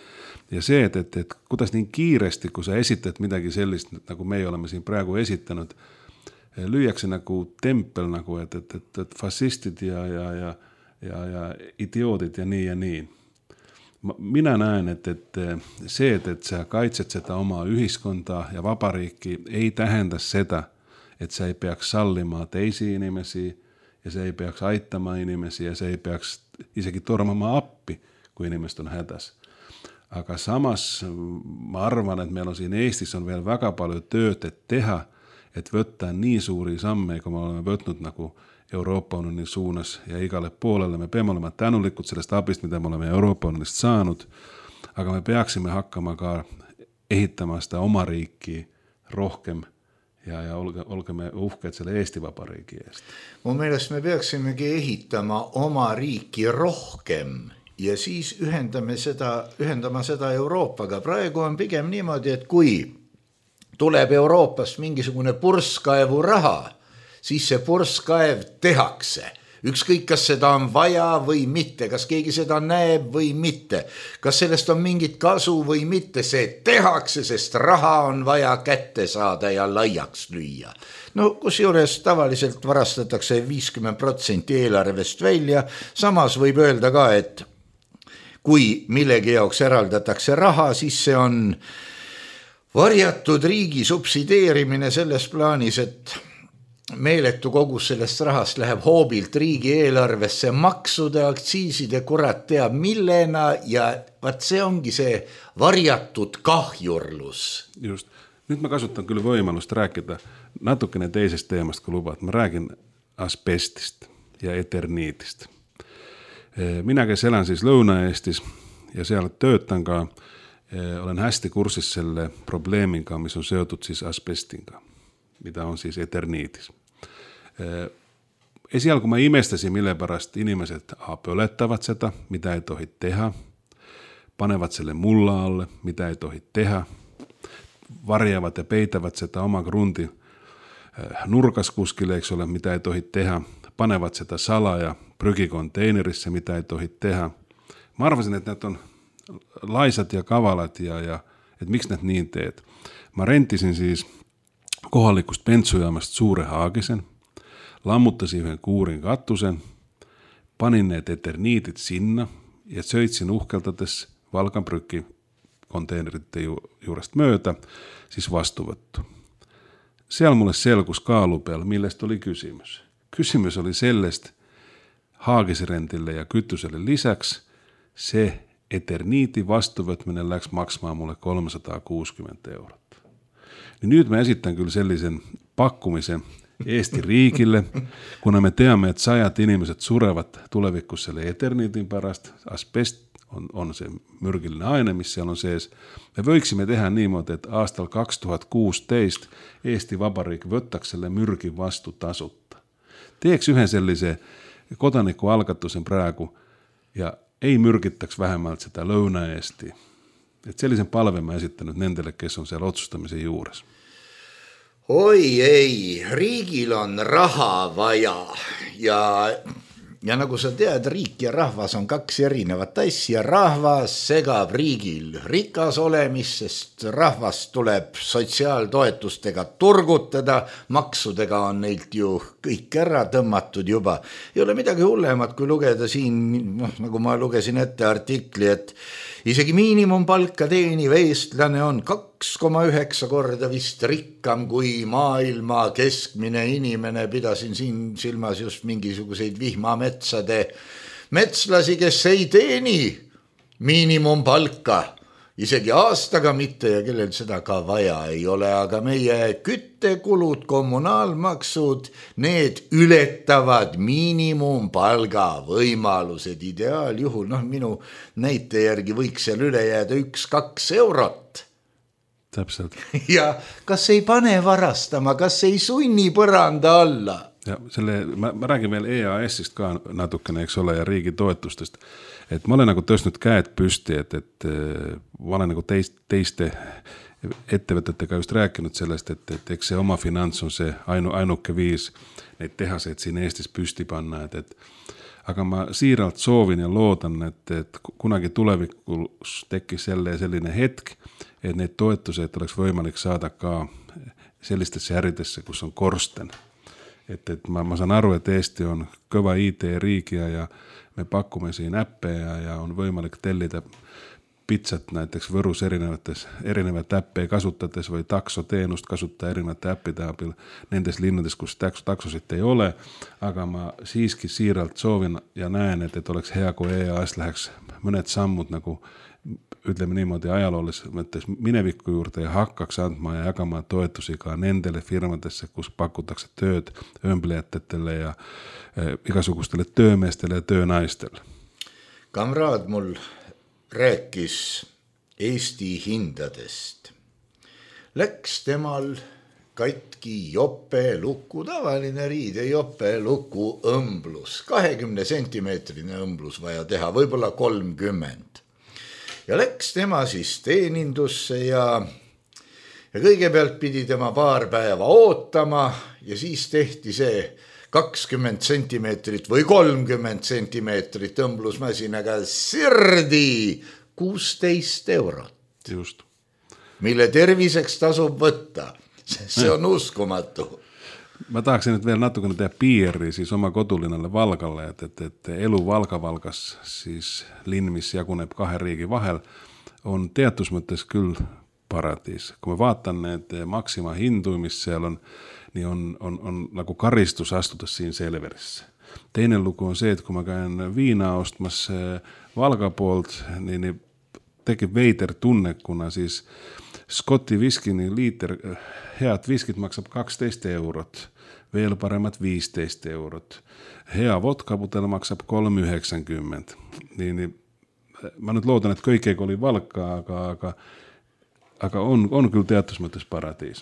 S4: Ja se, että kuidas niin kiiresti, kun sä esität midagi sellist, nagu me olemme siin praegu esitanud, lüüakse nagu tempel, nagu, että fašistid ja idioodid ja nii ja niin. Minä näen, että se, että sä kaitset sitä omaa yhdiskuntaa ja vapariikki, ei tähendä sitä, että sä ei peaks sallimaan teisiä inimesiä ja se ei peaks aittamaan inimesiä ja se ei peaks isekin tormamaan appi, kun inimestä on hätäs. Aga samas ma arvan, että meillä on siinä Eestissä on vielä väga paljon töötä tehdä, että võttää niin suuria samme, kun me olemme võtnud nagu Euroopa unionin suunas ja igalle puolelle. Me peame olema tänulikud sellest abist, mitä me olemme Euroopa unionista saanut, aga me peaksime hakkama ka ehittämään sitä oma riikkiä rohkem ja olkemme uhkeet selle Eesti Vabariigi eest.
S3: Mun mielestä me peaksimegi ehitama oma riiki rohkem ja siis ühendama seda Euroopaga. Praegu on pigem niimoodi, et kui tuleb Euroopast mingisugune purskkaevu raha, siis see purskkaev tehakse. Ükskõik, kas seda on vaja või mitte, kas keegi seda näeb või mitte, kas sellest on mingit kasu või mitte, see tehakse, sest raha on vaja kätte saada ja laiaks lüüa. No kusjuures tavaliselt varastatakse 50% eelarvest välja, samas võib öelda ka, et kui millegi jaoks eraldatakse raha, siis see on varjatud riigi subsideerimine selles plaanis, et meeletu kogus sellest rahast läheb hoobilt riigieelarvesse maksude, aktsiiside, kurat teab millena ja vaat see ongi see varjatud kahjurlus.
S4: Just. Nüüd ma kasutan küll võimalust rääkida natukene teisest teemast, kui lubad. Ma räägin asbestist ja eterniidist. Mina, kes elan siis Lõuna-Eestis ja seal töötan ka, olen hästi kursis selle probleemiga, mis on seotud siis asbestinga, mida on siis eterniidis. Esialgu ma imestasin, mille pärast inimesed põletavad seda, mida ei tohi teha, panevad selle mulla alle, mida ei tohi teha, varjavad ja peitavad seda oma krundi nurgas kuskile, eks ole, mida ei tohi teha, panevad seda salaja prügikonteinerisse, mida ei tohi teha. Ma arvasin, et need on laisad ja kavalad ja et miks need nii teed. Ma rentisin siis kohalikust bensujaamast suure haagisen, lammutasin ühe kuurin katusen, panin need eterniidid sinna ja sõitsin uhkeldades Valgan prüki konteinerite juurest mööda, siis vastuvõttu. Seal mulle selgus kaalu peal, millest oli küsimus. Küsimus oli sellest haagisrendile ja kütusele lisaks, see eterniidi vastuvõtmine läks maksma mulle 360 €. Nüüd ma esitan küll sellisen pakkumise Eesti riigile, kuna me teame, et 100 inimesed surevad tulevikus selle eterniidi pärast, asbest on see mürgiline aine, mis seal on sees. Me võiksime teha niimoodi, et aastal 2016 Eesti Vabariik võtaks selle mürgi vastu tasuta. Teeks ühe sellise kodanikualgatuse praegu ja ei mürgitaks vähemalt seda Lõuna-Eesti. Et sellisen palve ma esitanud nendele, kes on seal otsustamise juures.
S3: Oi ei, riigil on raha vaja ja nagu sa tead, riik ja rahvas on kaks erinevat asja. Rahvas segab riigil rikas olemist, sest rahvast tuleb sotsiaaltoetustega turgutada, maksudega on neilt ju kõik ära tõmmatud juba. Ei ole midagi hullemat, kui lugeda siin, nagu ma lugesin ette artikli, et isegi miinimumpalka teeniv eestlane on 2,9 korda vist rikkam kui maailma keskmine inimene. Pidasin siin silmas just mingisuguseid vihmametsade metslasi, kes ei teeni miinimumpalka, isegi aastaga mitte ja kellel seda ka vaja ei ole, aga meie küttekulud, kommunaalmaksud, need ületavad miinimumpalga võimalused ideaaljuhul. Minu näite järgi võiks seal üle jääda 1-2 eurot.
S4: Täpselt.
S3: Ja kas ei pane varastama, kas ei sunni põranda alla?
S4: Ja ma räägin veel EAS-ist ka natukene, eks ole, ja riigi toetustest. Et ma olen nagu tõstnud käed püsti, et ma olen nagu teiste ettevõtetega just rääkinud sellest, et eks see oma finants on see ainuke viis neid tehaseid siin Eestis püsti panna, aga ma siiralt soovin ja loodan, et kunagi tulevikus tekkis selline hetk, et neid toetuseid oleks võimalik saada ka sellistesse äridesse, kus on korsten. Et ma saan aru, et Eesti on kõva IT-riigi ja me pakume siin äppe ja on võimalik tellida pitsat näiteks Võrus erinevat äppe kasutades või taksoteenust kasutada erinevate äppide abil nendes linnades, kus taksosid ei ole, aga ma siiski siiralt soovin ja näen, et oleks hea, kui EAS läheks mõned sammud nagu ütleme niimoodi ajaloolise mõttes mineviku juurde ja hakkaks andma ja jagama toetusi ka nendele firmadesse, kus pakutakse tööd öömblejatele ja igasugustele töömeestele ja töönaistele.
S3: Kamraad mul rääkis Eesti hindadest. Läks temal katki jopeluku, tavaline riide jopeluku õmblus, 20 sentimeetrine õmblus vaja teha, võib-olla 30. Ja läks tema siis teenindusse ja ja kõigepealt pidi tema paar päeva ootama ja siis tehti see 20 sentimeetrit või 30 sentimeetrit õmblusmasinaga sirdi 16 eurot.
S4: Just.
S3: Mille terviseks tasub võtta. See on uskumatu.
S4: Ma tahaksin nüüd veel natukene teha piiri siis oma kodulinnale Valgalle, et elu Valgas, siis linn, mis jaguneb 2 riigi vahel, on teatud mõttes küll paradiis. Kui ma vaatan need Maxima hindu, mis seal on, nii on nagu karistus astudes siin Selverisse. Teine lugu on see, et kui ma käin viina ostmas Valga poolt, nii tekib veider tunne, kuna siis Scotti viskini liiter head viskit maksab 12 eurot, veel paremat 15 eurot. Hea vodkaputel maksab 3,90. Nii, ma nüüd loodan, et kõik oli Valka, aga on küll teatud mõttes paradiis.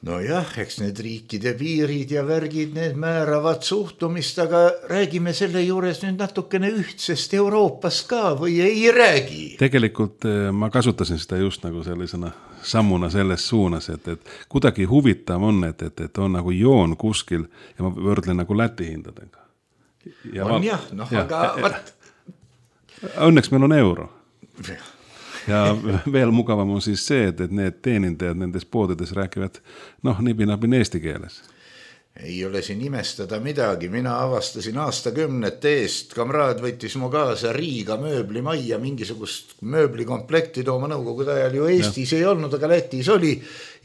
S3: No jah, eks need riikide piirid ja värgid, need määravad suhtumist, aga räägime selle juures nüüd natukene ühtsest Euroopast ka või ei räägi?
S4: Tegelikult ma kasutasin seda just nagu sellisena sammuna selles suunas, et kuidagi huvitav on, et on nagu joon kuskil ja ma võrdlen nagu Läti hindadega.
S3: Ja aga
S4: õnneks meil on euro. Ja veel mugavam on siis see, et need teenindajad nendes poodides rääkivad nipinapin eesti keeles.
S3: Ei ole siin imestada midagi. Mina avastasin aastakümnete eest. Kamraad võttis mu kaasa Riiga mööblimajja, mingisugust mööblikomplekti tooma nõukogude ajal ju Eestis ei olnud, aga Lätis oli.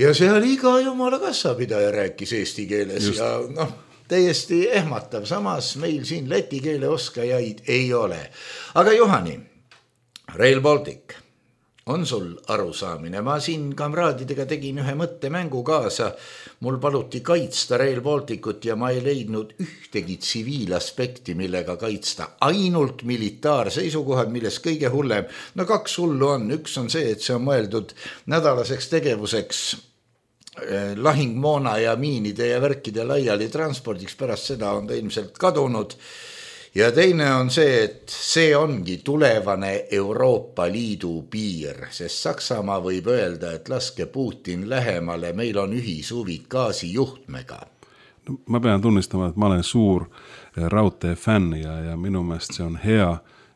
S3: Ja seal iga jumala kassapidaja rääkis eesti keeles. Just. Ja täiesti ehmatav. Samas meil siin läti keele oskajaid ei ole. Aga Juhani, Rail Baltic. On sul arusaamine? Ma siin kamraadidega tegin ühe mõttemängu kaasa. Mul paluti kaitsta Rail Balticut ja ma ei leidnud ühtegi tsiviilaspekti, millega kaitsta. Ainult militaarseisukohad, milles kõige hullem. 2 hullu on. Üks on see, et see on mõeldud nädalaseks tegevuseks lahingmoona ja miinide ja värkide laiali transpordiks. Pärast seda on ta ilmselt kadunud. Ja teine on see, et see ongi tulevane Euroopa Liidu piir, sest Saksamaa võib öelda, et laske Putin lähemale, meil on ühishuvid gaasijuhtmega.
S4: Ma pean tunnistama, et ma olen suur raudtee fänn ja minu meelest see on hea,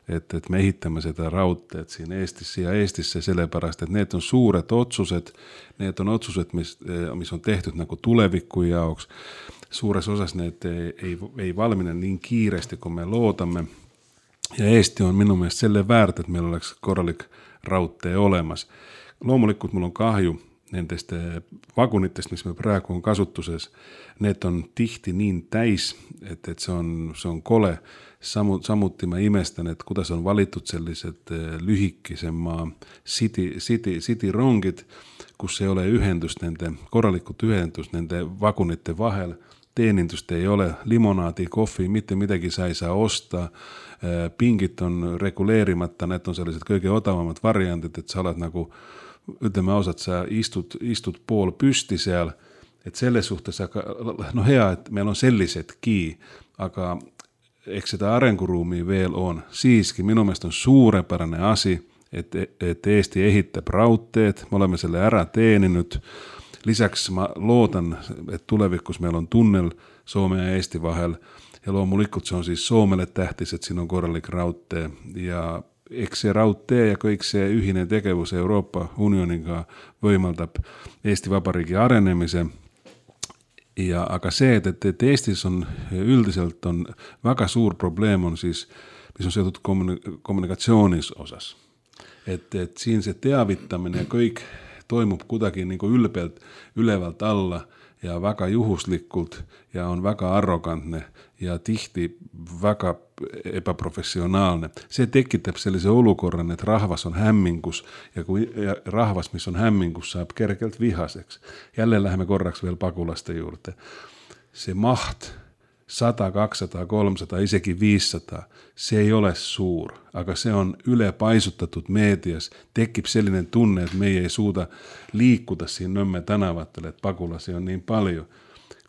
S4: et me ehitame seda raudteed siin Eestisse sellepärast, et need on suured otsused, need on otsused, mis on tehtud nagu tuleviku jaoks. Suures osas need ei valmine nii kiiresti, kui me loodame. Ja Eesti on minu meelest selle väärt, et meil oleks korralik raudtee olemas. Loomulikult mul on kahju nendest vagunitest, mis meil praegu on kasutuses. Need on tihti nii täis, et see on kole. Samuti ma imestan, et kuidas on valitud sellised lühikesema city rongid, kus ei ole korralikult ühendust nende vagunite vahel. Teenindust ei ole, limonaadi, kohvi, mitte midagi sa ei saa osta, pingid on reguleerimata, need on sellised kõige odavamad variandid, et sa oled nagu, ütleme ausalt, sa istud pool püsti seal, et selles suhtes, hea, et meil on sellisedki, aga eks seda arenguruumi veel on. Siiski minu meelest on suurepärane asi, et Eesti ehitab raudteed, me oleme selle ära teeninud. Lisaks ma loodan, et tulevikus meil on tunnel Soome ja Eesti vahel ja loomulikult see on siis Soomele tähtis, et siin on korralik raudtee ja eks see raudtee ja kõik see ühine tegevus Euroopa Unioniga võimaldab Eesti Vabariigi arenemise. Aga see, et Eestis on üldiselt on väga suur probleem on siis, mis on seotud kommunikatsioonis osas. Et siin see teavitamine ja kõik toimub kuidagi nagu ülevalt alla ja väga juhuslikult ja on väga arrogantne ja tihti väga ebaprofessionaalne. See tekitab sellise olukorran, et rahvas on hämmingus ja kui rahvas, mis on hämmingus, saab kergelt vihaseks. Jälle läheme korraks veel pagulaste juurde. See maht 100, 200, 300, isegi 500, see ei ole suur, aga see on ülepaisutatud meedias. Tekib selline tunne, et meie ei suuda liikuda siin Nõmme tänavatel, et pagulasi on nii palju.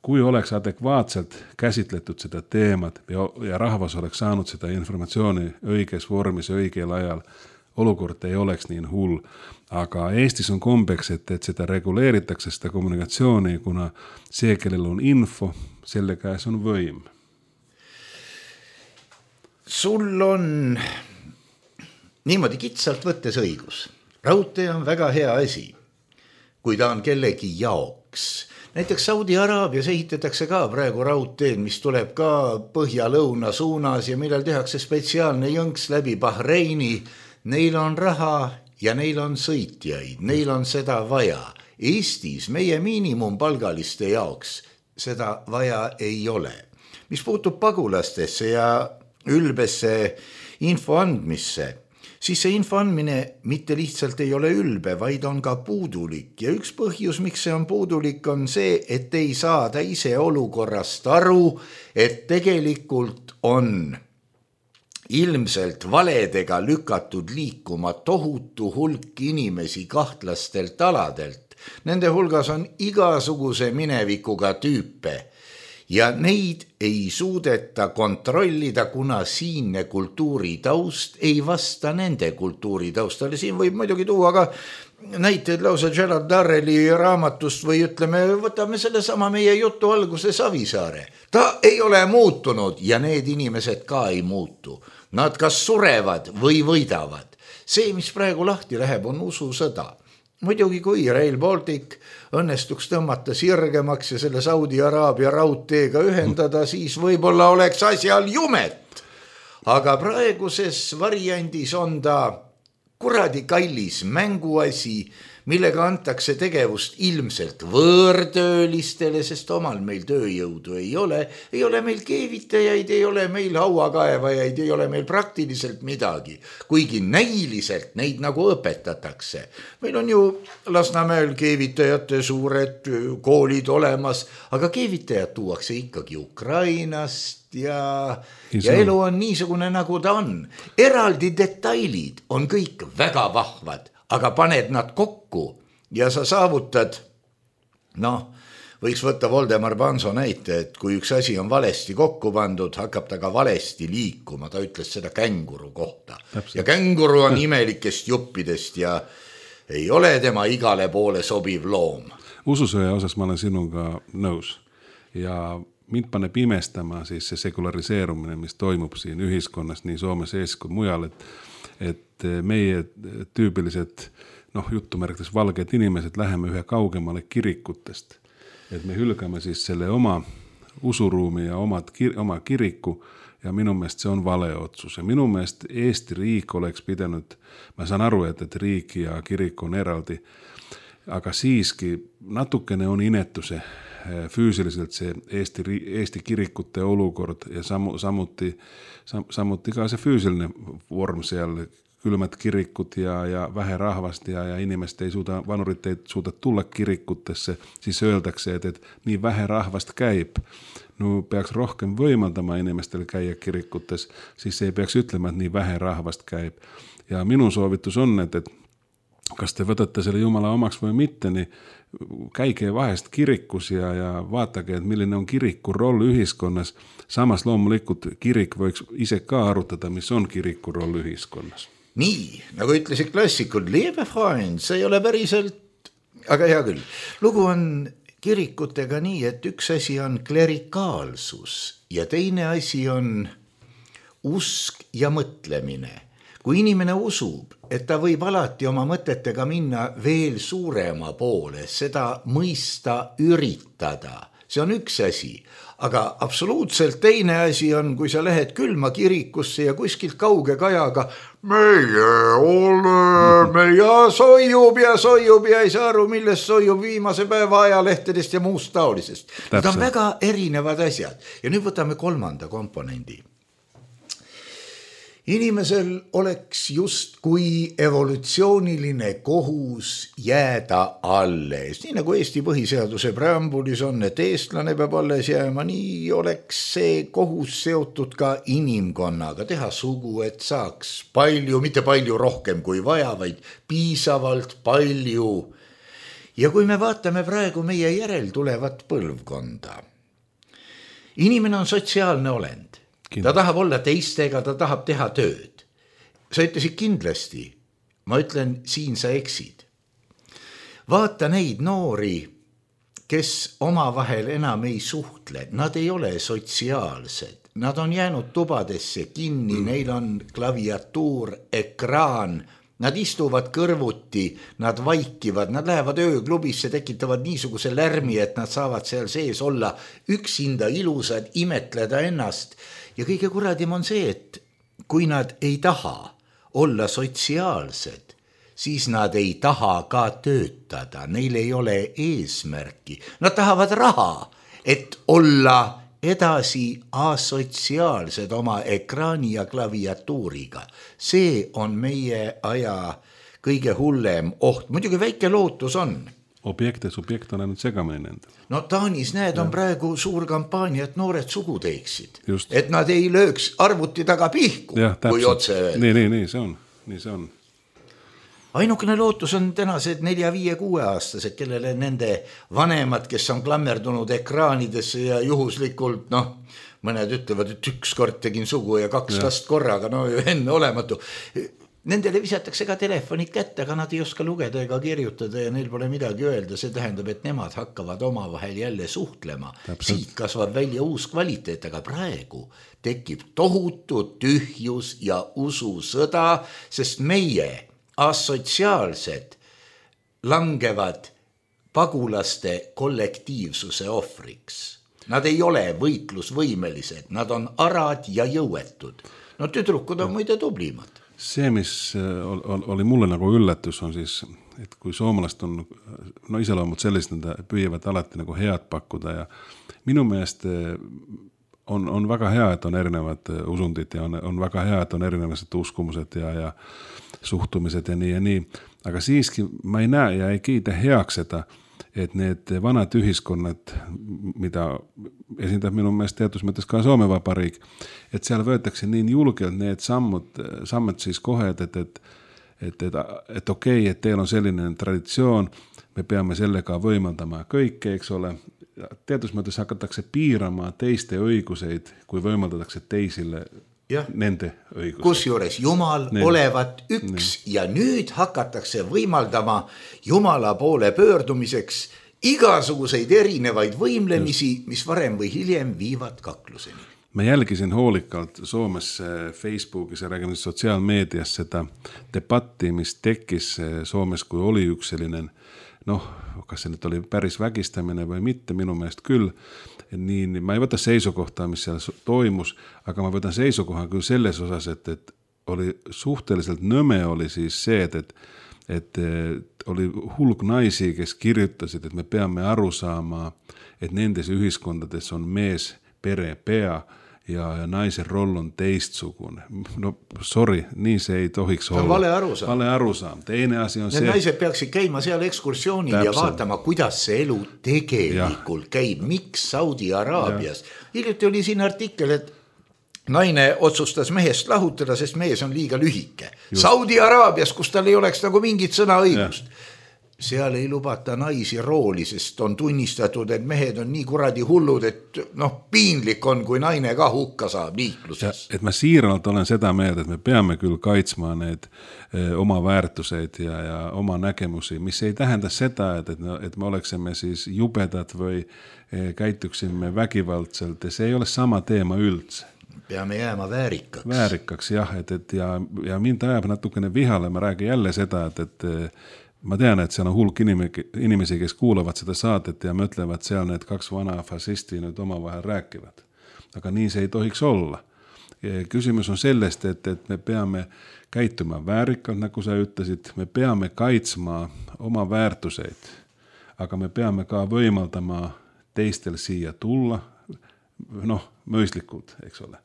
S4: Kui oleks adekvaatselt käsitletud seda teemat ja rahvas oleks saanud seda informatsiooni õiges vormis õigel ajal, olukord ei oleks nii hull. Aga Eestis on kombeks, et seda reguleeritakse, seda kommunikatsiooni, kuna see, kellel on info, selle käes on võim.
S3: Sul on niimoodi kitsalt võttes õigus. Raudtee on väga hea asi, kui ta on kellegi jaoks. Näiteks Saudi-Araabias ehitatakse ka praegu raudteed, mis tuleb ka põhja-lõuna suunas ja millal tehakse spetsiaalne jõnks läbi Bahreini. Neil on raha ja neil on sõitjaid, neil on seda vaja. Eestis meie miinimumpalgaliste jaoks seda vaja ei ole. Mis puutub pagulastesse ja ülbesse info andmisse, siis see info andmine mitte lihtsalt ei ole ülbe, vaid on ka puudulik. Ja üks põhjus, miks see on puudulik, on see, et ei saada ise olukorrast aru, et tegelikult on ilmselt valedega lükatud liikuma tohutu hulk inimesi kahtlastelt aladelt. Nende hulgas on igasuguse minevikuga tüüpe. Ja neid ei suudeta kontrollida, kuna siinne kultuuritaust ei vasta nende kultuuritaustale. Siin võib muidugi tuua ka näiteid lausa Gerald Darrelli raamatust või ütleme, võtame selle sama meie jutu alguse Savisaare. Ta ei ole muutunud ja need inimesed ka ei muutu. Nad kas surevad või võidavad. See, mis praegu lahti läheb, on ususõda. Muidugi kui Rail Baltic õnnestuks tõmmata sirgemaks ja selle Saudi-Araabia raudteega ühendada, siis võib-olla oleks asjal jumet. Aga praeguses variandis on ta kuradi kallis mänguasi, millega antakse tegevust ilmselt võõrtöölistele, sest omal meil tööjõudu ei ole meil keevitajaid, ei ole meil hauakaevajaid, ei ole meil praktiliselt midagi, kuigi näiliselt neid nagu õpetatakse. Meil on ju Lasnamäel keevitajate suured koolid olemas, aga keevitajad tuuakse ikkagi Ukrainast ja elu on niisugune, nagu ta on. Eraldi detailid on kõik väga vahvad, aga paned nad kokku ja sa saavutad, võiks võtta Voldemar Banzo näite, et kui üks asi on valesti kokku pandud, hakkab ta ka valesti liikuma, ta ütles seda känguru kohta. Täpselt. Ja känguru on imelikest juppidest ja ei ole tema igale poole sobiv loom.
S4: Ususõja osas ma olen sinuga nõus ja mind paneb imestama siis see sekulariseerumine, mis toimub siin ühiskonnas nii Soomes ees kui mujal, et meie tüübilised, jutumärkides valged inimesed läheme ühe kaugemale kirikutest. Et me hülgame siis selle oma usuruumi ja oma kiriku ja minu meelest see on vale otsus. Ja minu meelest Eesti riik oleks pidanud, ma saan aru, et riik ja kirik on eraldi, aga siiski natukene on inetuse füüsiliselt see Eesti kirikute olukord ja samuti ka see füüsiline vorm seal, külmad kirikud ja vähe rahvast ja inimest ei suuda, vanurit ei suuda tulla kirikutesse, siis öeldakse, et nii vähe rahvast käib. Peaks rohkem võimaldama inimestel käia kirikutes, siis ei peaks ütlema, et nii vähe rahvast käib. Ja minu soovitus on, et kas te võtate selle Jumala omaks või mitte, nii käige vahest kirikus ja vaatage, et milline on kiriku roll ühiskonnas. Samas loomulikult kirik võiks ise ka arutada, mis on kiriku roll ühiskonnas.
S3: Nii, nagu ütlesid klassikud, liebe Freund, see ei ole päriselt, aga hea küll. Lugu on kirikutega nii, et üks asi on klerikaalsus ja teine asi on usk ja mõtlemine. Kui inimene usub, et ta võib alati oma mõtetega minna veel suurema poole, seda mõista üritada, see on üks asi. Aga absoluutselt teine asi on, kui sa lähed külma kirikusse ja kuskilt kauge kajaga meie oleme ja soijub ja ei saa aru, millest soijub viimase päeva ajalehtedest ja muust taolisest. Need on väga erinevad asjad. Ja nüüd võtame kolmanda komponendi. Inimesel oleks just kui evolutsiooniline kohus jääda alles. Nii nagu Eesti põhiseaduse preambulis on, et eestlane peab alles jääma, nii oleks see kohus seotud ka inimkonnaga. Teha sugu, et saaks palju, mitte palju rohkem kui vaja, vaid piisavalt palju. Ja kui me vaatame praegu meie järel tulevat põlvkonda, inimene on sotsiaalne olend. Ta tahab olla teistega, ta tahab teha tööd. Sa ütlesid kindlasti, ma ütlen, siin sa eksid. Vaata neid noori, kes omavahel enam ei suhtle, nad ei ole sotsiaalsed, nad on jäänud tubadesse kinni, neil on klaviatuur, ekraan, nad istuvad kõrvuti, nad vaikivad, nad lähevad ööklubisse, tekitavad niisuguse lärmi, et nad saavad seal sees olla üksinda ilusad, imetleda ennast. Ja kõige kuradim on see, et kui nad ei taha olla sotsiaalsed, siis nad ei taha ka töötada, neil ei ole eesmärki. Nad tahavad raha, et olla edasi asotsiaalsed oma ekraani ja klaviatuuriga. See on meie aja kõige hullem oht. Muidugi väike lootus on.
S4: Objekt ja subjekt on ainult segamini nendel.
S3: No Taanis on praegu suur kampaania, et noored sugu teeksid.
S4: Just.
S3: Et nad ei lööks arvuti taga pihku, kui otse öelda.
S4: Nii see on.
S3: Ainukene lootus on tänased 4-5-6 aastased, kellele nende vanemad, kes on klammerdunud ekraanidesse ja juhuslikult, mõned ütlevad, et üks kord tegin sugu ja 2 last korraga, enne olematu. Nendele visatakse ka telefonid kätte, aga nad ei oska lugeda ega kirjutada ja neil pole midagi öelda. See tähendab, et nemad hakkavad omavahel jälle suhtlema. Siit kasvab välja uus kvaliteet, aga praegu tekib tohutu tühjus ja ususõda, sest meie asotsiaalsed langevad pagulaste kollektiivsuse ohvriks. Nad ei ole võitlusvõimelised, nad on arad ja jõuetud. No tüdrukud on muide tublimad.
S4: See, mis oli mulle nagu üllatus, on siis, et kui soomlast on iseloomud sellised, nad püüavad alati nagu head pakkuda ja minu meelest on väga hea, et on erinevad usundid ja on väga hea, et on erinevad uskumused ja suhtumised ja nii, aga siiski ma ei näe ja ei kiida heaks seda, et need vanad ühiskonnad, mida esindab minu meelest teatud mõttes ka Soome Vabariik, et seal võetakse nii julgelt need sammud siis kohe, et okei, et teil on selline traditsioon, me peame sellega võimaldama kõike, eks ole. Teatud mõttes hakatakse piirama teiste õiguseid, kui võimaldatakse teisile nende õiguseid.
S3: Kusjuures Jumal olevat üks ja nüüd hakatakse võimaldama Jumala poole pöördumiseks igasuguseid erinevaid võimlemisi, mis varem või hiljem viivad kakluseni.
S4: Ma jälgisin hoolikalt Soomes Facebookis ja räägin sotsiaalmeedias seda debatti, mis tekkis Soomes, kui oli üks selline kas see nüüd oli päris vägistamine või mitte, minu meelest küll. Nii, ma ei võta seisukohta, mis seal toimus, aga ma võtan seisukoha küll selles osas, et oli suhteliselt nõme oli siis see, et oli hulk naisi, kes kirjutasid, et me peame aru saama, et nendes ühiskondades on mees, pere, pea ja naise roll on teistsugune. Sorry, nii see ei tohiks olla.
S3: Vale arusaam.
S4: Vale arusaam. Teine asi on
S3: see. Need naised peaksid käima seal ekskursioonil ja vaatama, kuidas see elu tegelikult käib. Miks Saudi Araabias? Hiljuti oli siin artikkel, et naine otsustas mehest lahutada, sest mees on liiga lühike. Just. Saudi Araabias, kus tal ei oleks nagu mingit sõnaõigust. Seal ei lubata naisi rooli, sest on tunnistatud, et mehed on nii kuradi hullud, et piinlik on, kui naine ka hukka saab liikluses.
S4: Et ma siiralt olen seda meeld, et me peame küll kaitsma need oma väärtuseid ja oma nägemusi, mis ei tähenda seda, et me oleksime siis jubedad või käituksime vägivaldselt ja see ei ole sama teema üldse.
S3: Peame jääma väärikaks.
S4: Väärikaks, jah, ja mind ajab natukene vihale, ma räägin jälle seda, et ma tean, et seal on hulk inimesi, kes kuulavad seda saadet ja mõtlevad seal need 2 vana fasisti nüüd omavahel rääkivad. Aga nii see ei tohiks olla. Küsimus on sellest, et me peame käituma väärikalt, nagu sa ütlesid, me peame kaitsma oma väärtuseid, aga me peame ka võimaldama teistel siia tulla, mõistlikult, eks ole.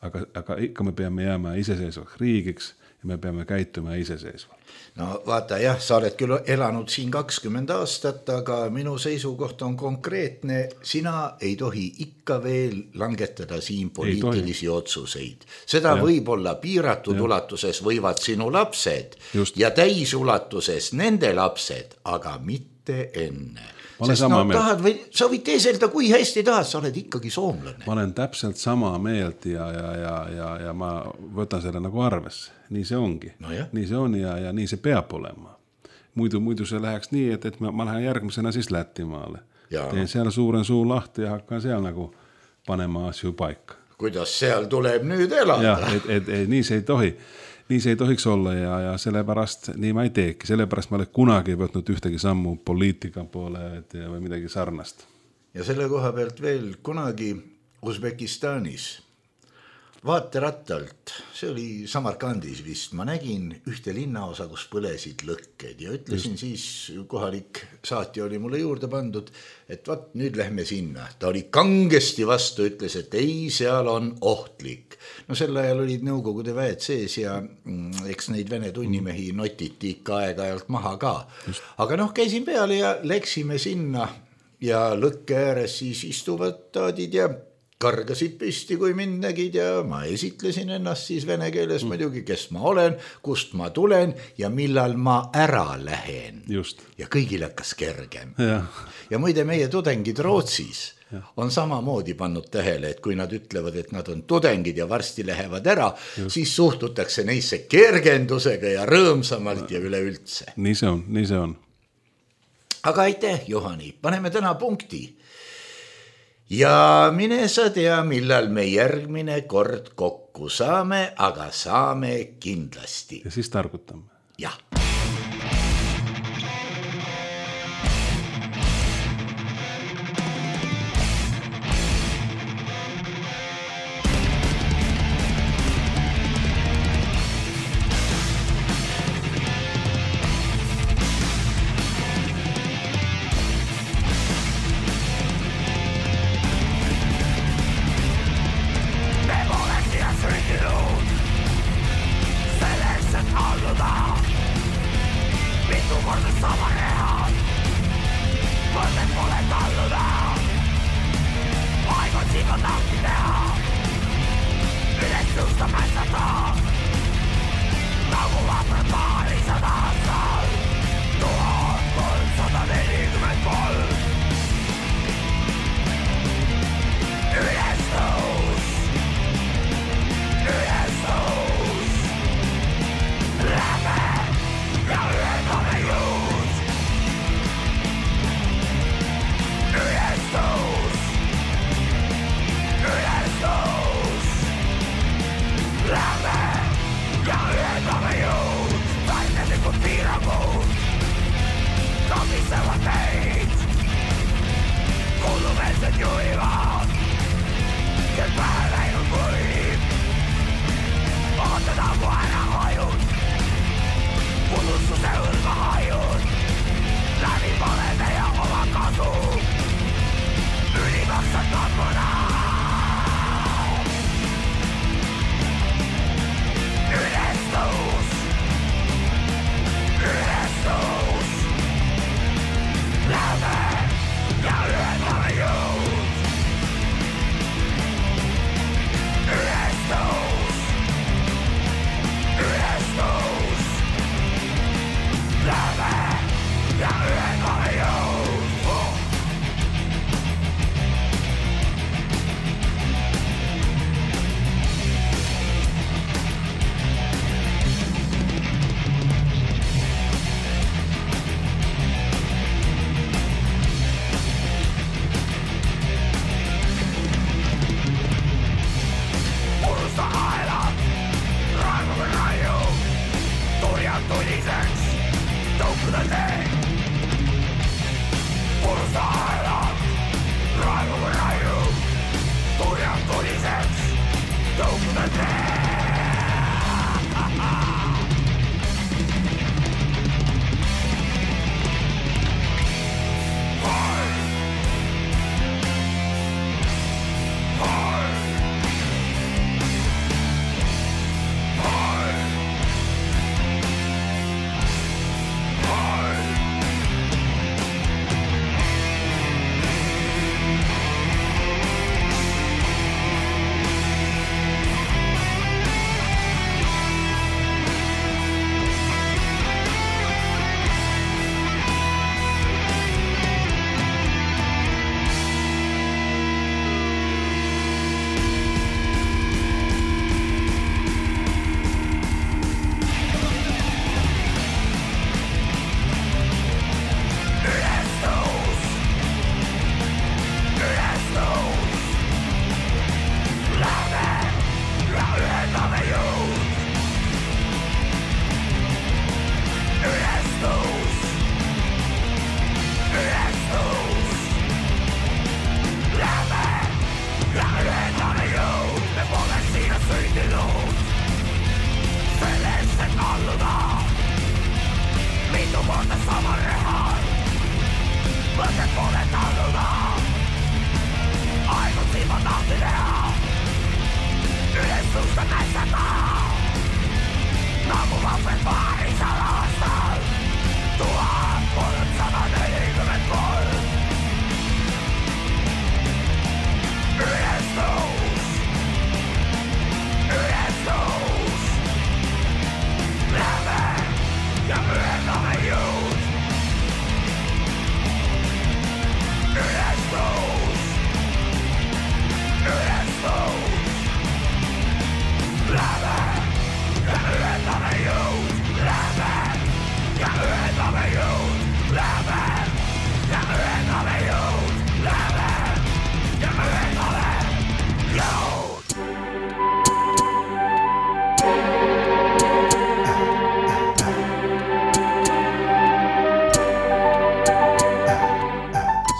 S4: Aga ikka me peame jääma iseseisvaks riigiks ja me peame käituma iseseisvalt.
S3: No vaata jah, sa oled küll elanud siin 20 aastat, aga minu seisukoht on konkreetne. Sina ei tohi ikka veel langetada siin poliitilisi otsuseid. Seda võib-olla piiratud ulatuses võivad sinu lapsed ja täisulatuses nende lapsed, aga mitte enne. Sest tahad või sa võid teeselda, kui hästi tahad, sa oled ikkagi soomlane.
S4: Ma olen täpselt sama meelt ja ma võtan selle nagu arvesse. Nii see ongi.
S3: No
S4: nii see on ja nii see peab olema. Muidu see läheks nii, et ma lähen järgmisena siis Lätimaale. Teen seal suuren suu lahti ja hakkan seal nagu panema asju paika.
S3: Kuidas seal tuleb nüüd elada?
S4: Et nii see ei tohi. Nii see ei tohiks olla ja sellepärast nii ma ei teeki. Sellepärast ma olen kunagi võtnud ühtegi sammu poliitika poole või midagi sarnast.
S3: Ja selle koha pealt veel kunagi Usbekistanis vaaterattalt, see oli Samarkandis vist, ma nägin ühte linnaosa, kus põlesid lõkked ja ütlesin siis, kohalik saatja oli mulle juurde pandud, et vaat nüüd lähme sinna. Ta oli kangesti vastu, ütles, et ei, seal on ohtlik. No sel ajal olid Nõukogude väed sees ja eks neid Vene tunnimehi notiti ikka aeg-ajalt maha ka. Aga käisin peale ja läksime sinna ja lõkke ääres siis istuvad taadid ja kargasid püsti, kui mind nägid ja ma esitlesin ennast siis vene keeles muidugi, kes ma olen, kust ma tulen ja millal ma ära lähen.
S4: Just.
S3: Ja kõigil hakkas kergem. Ja muide meie tudengid Rootsis on samamoodi pannud tähele, et kui nad ütlevad, et nad on tudengid ja varsti lähevad ära, siis suhtutakse neisse kergendusega ja rõõmsamalt ja üleüldse.
S4: Nii see on.
S3: Aga aitäh, Johani, paneme täna punkti. Ja mine sa tea, millal me järgmine kord kokku saame, aga saame kindlasti.
S4: Ja siis targutame.
S3: Jah.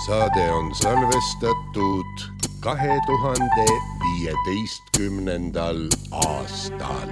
S5: Saade on salvestatud 2015. aastal.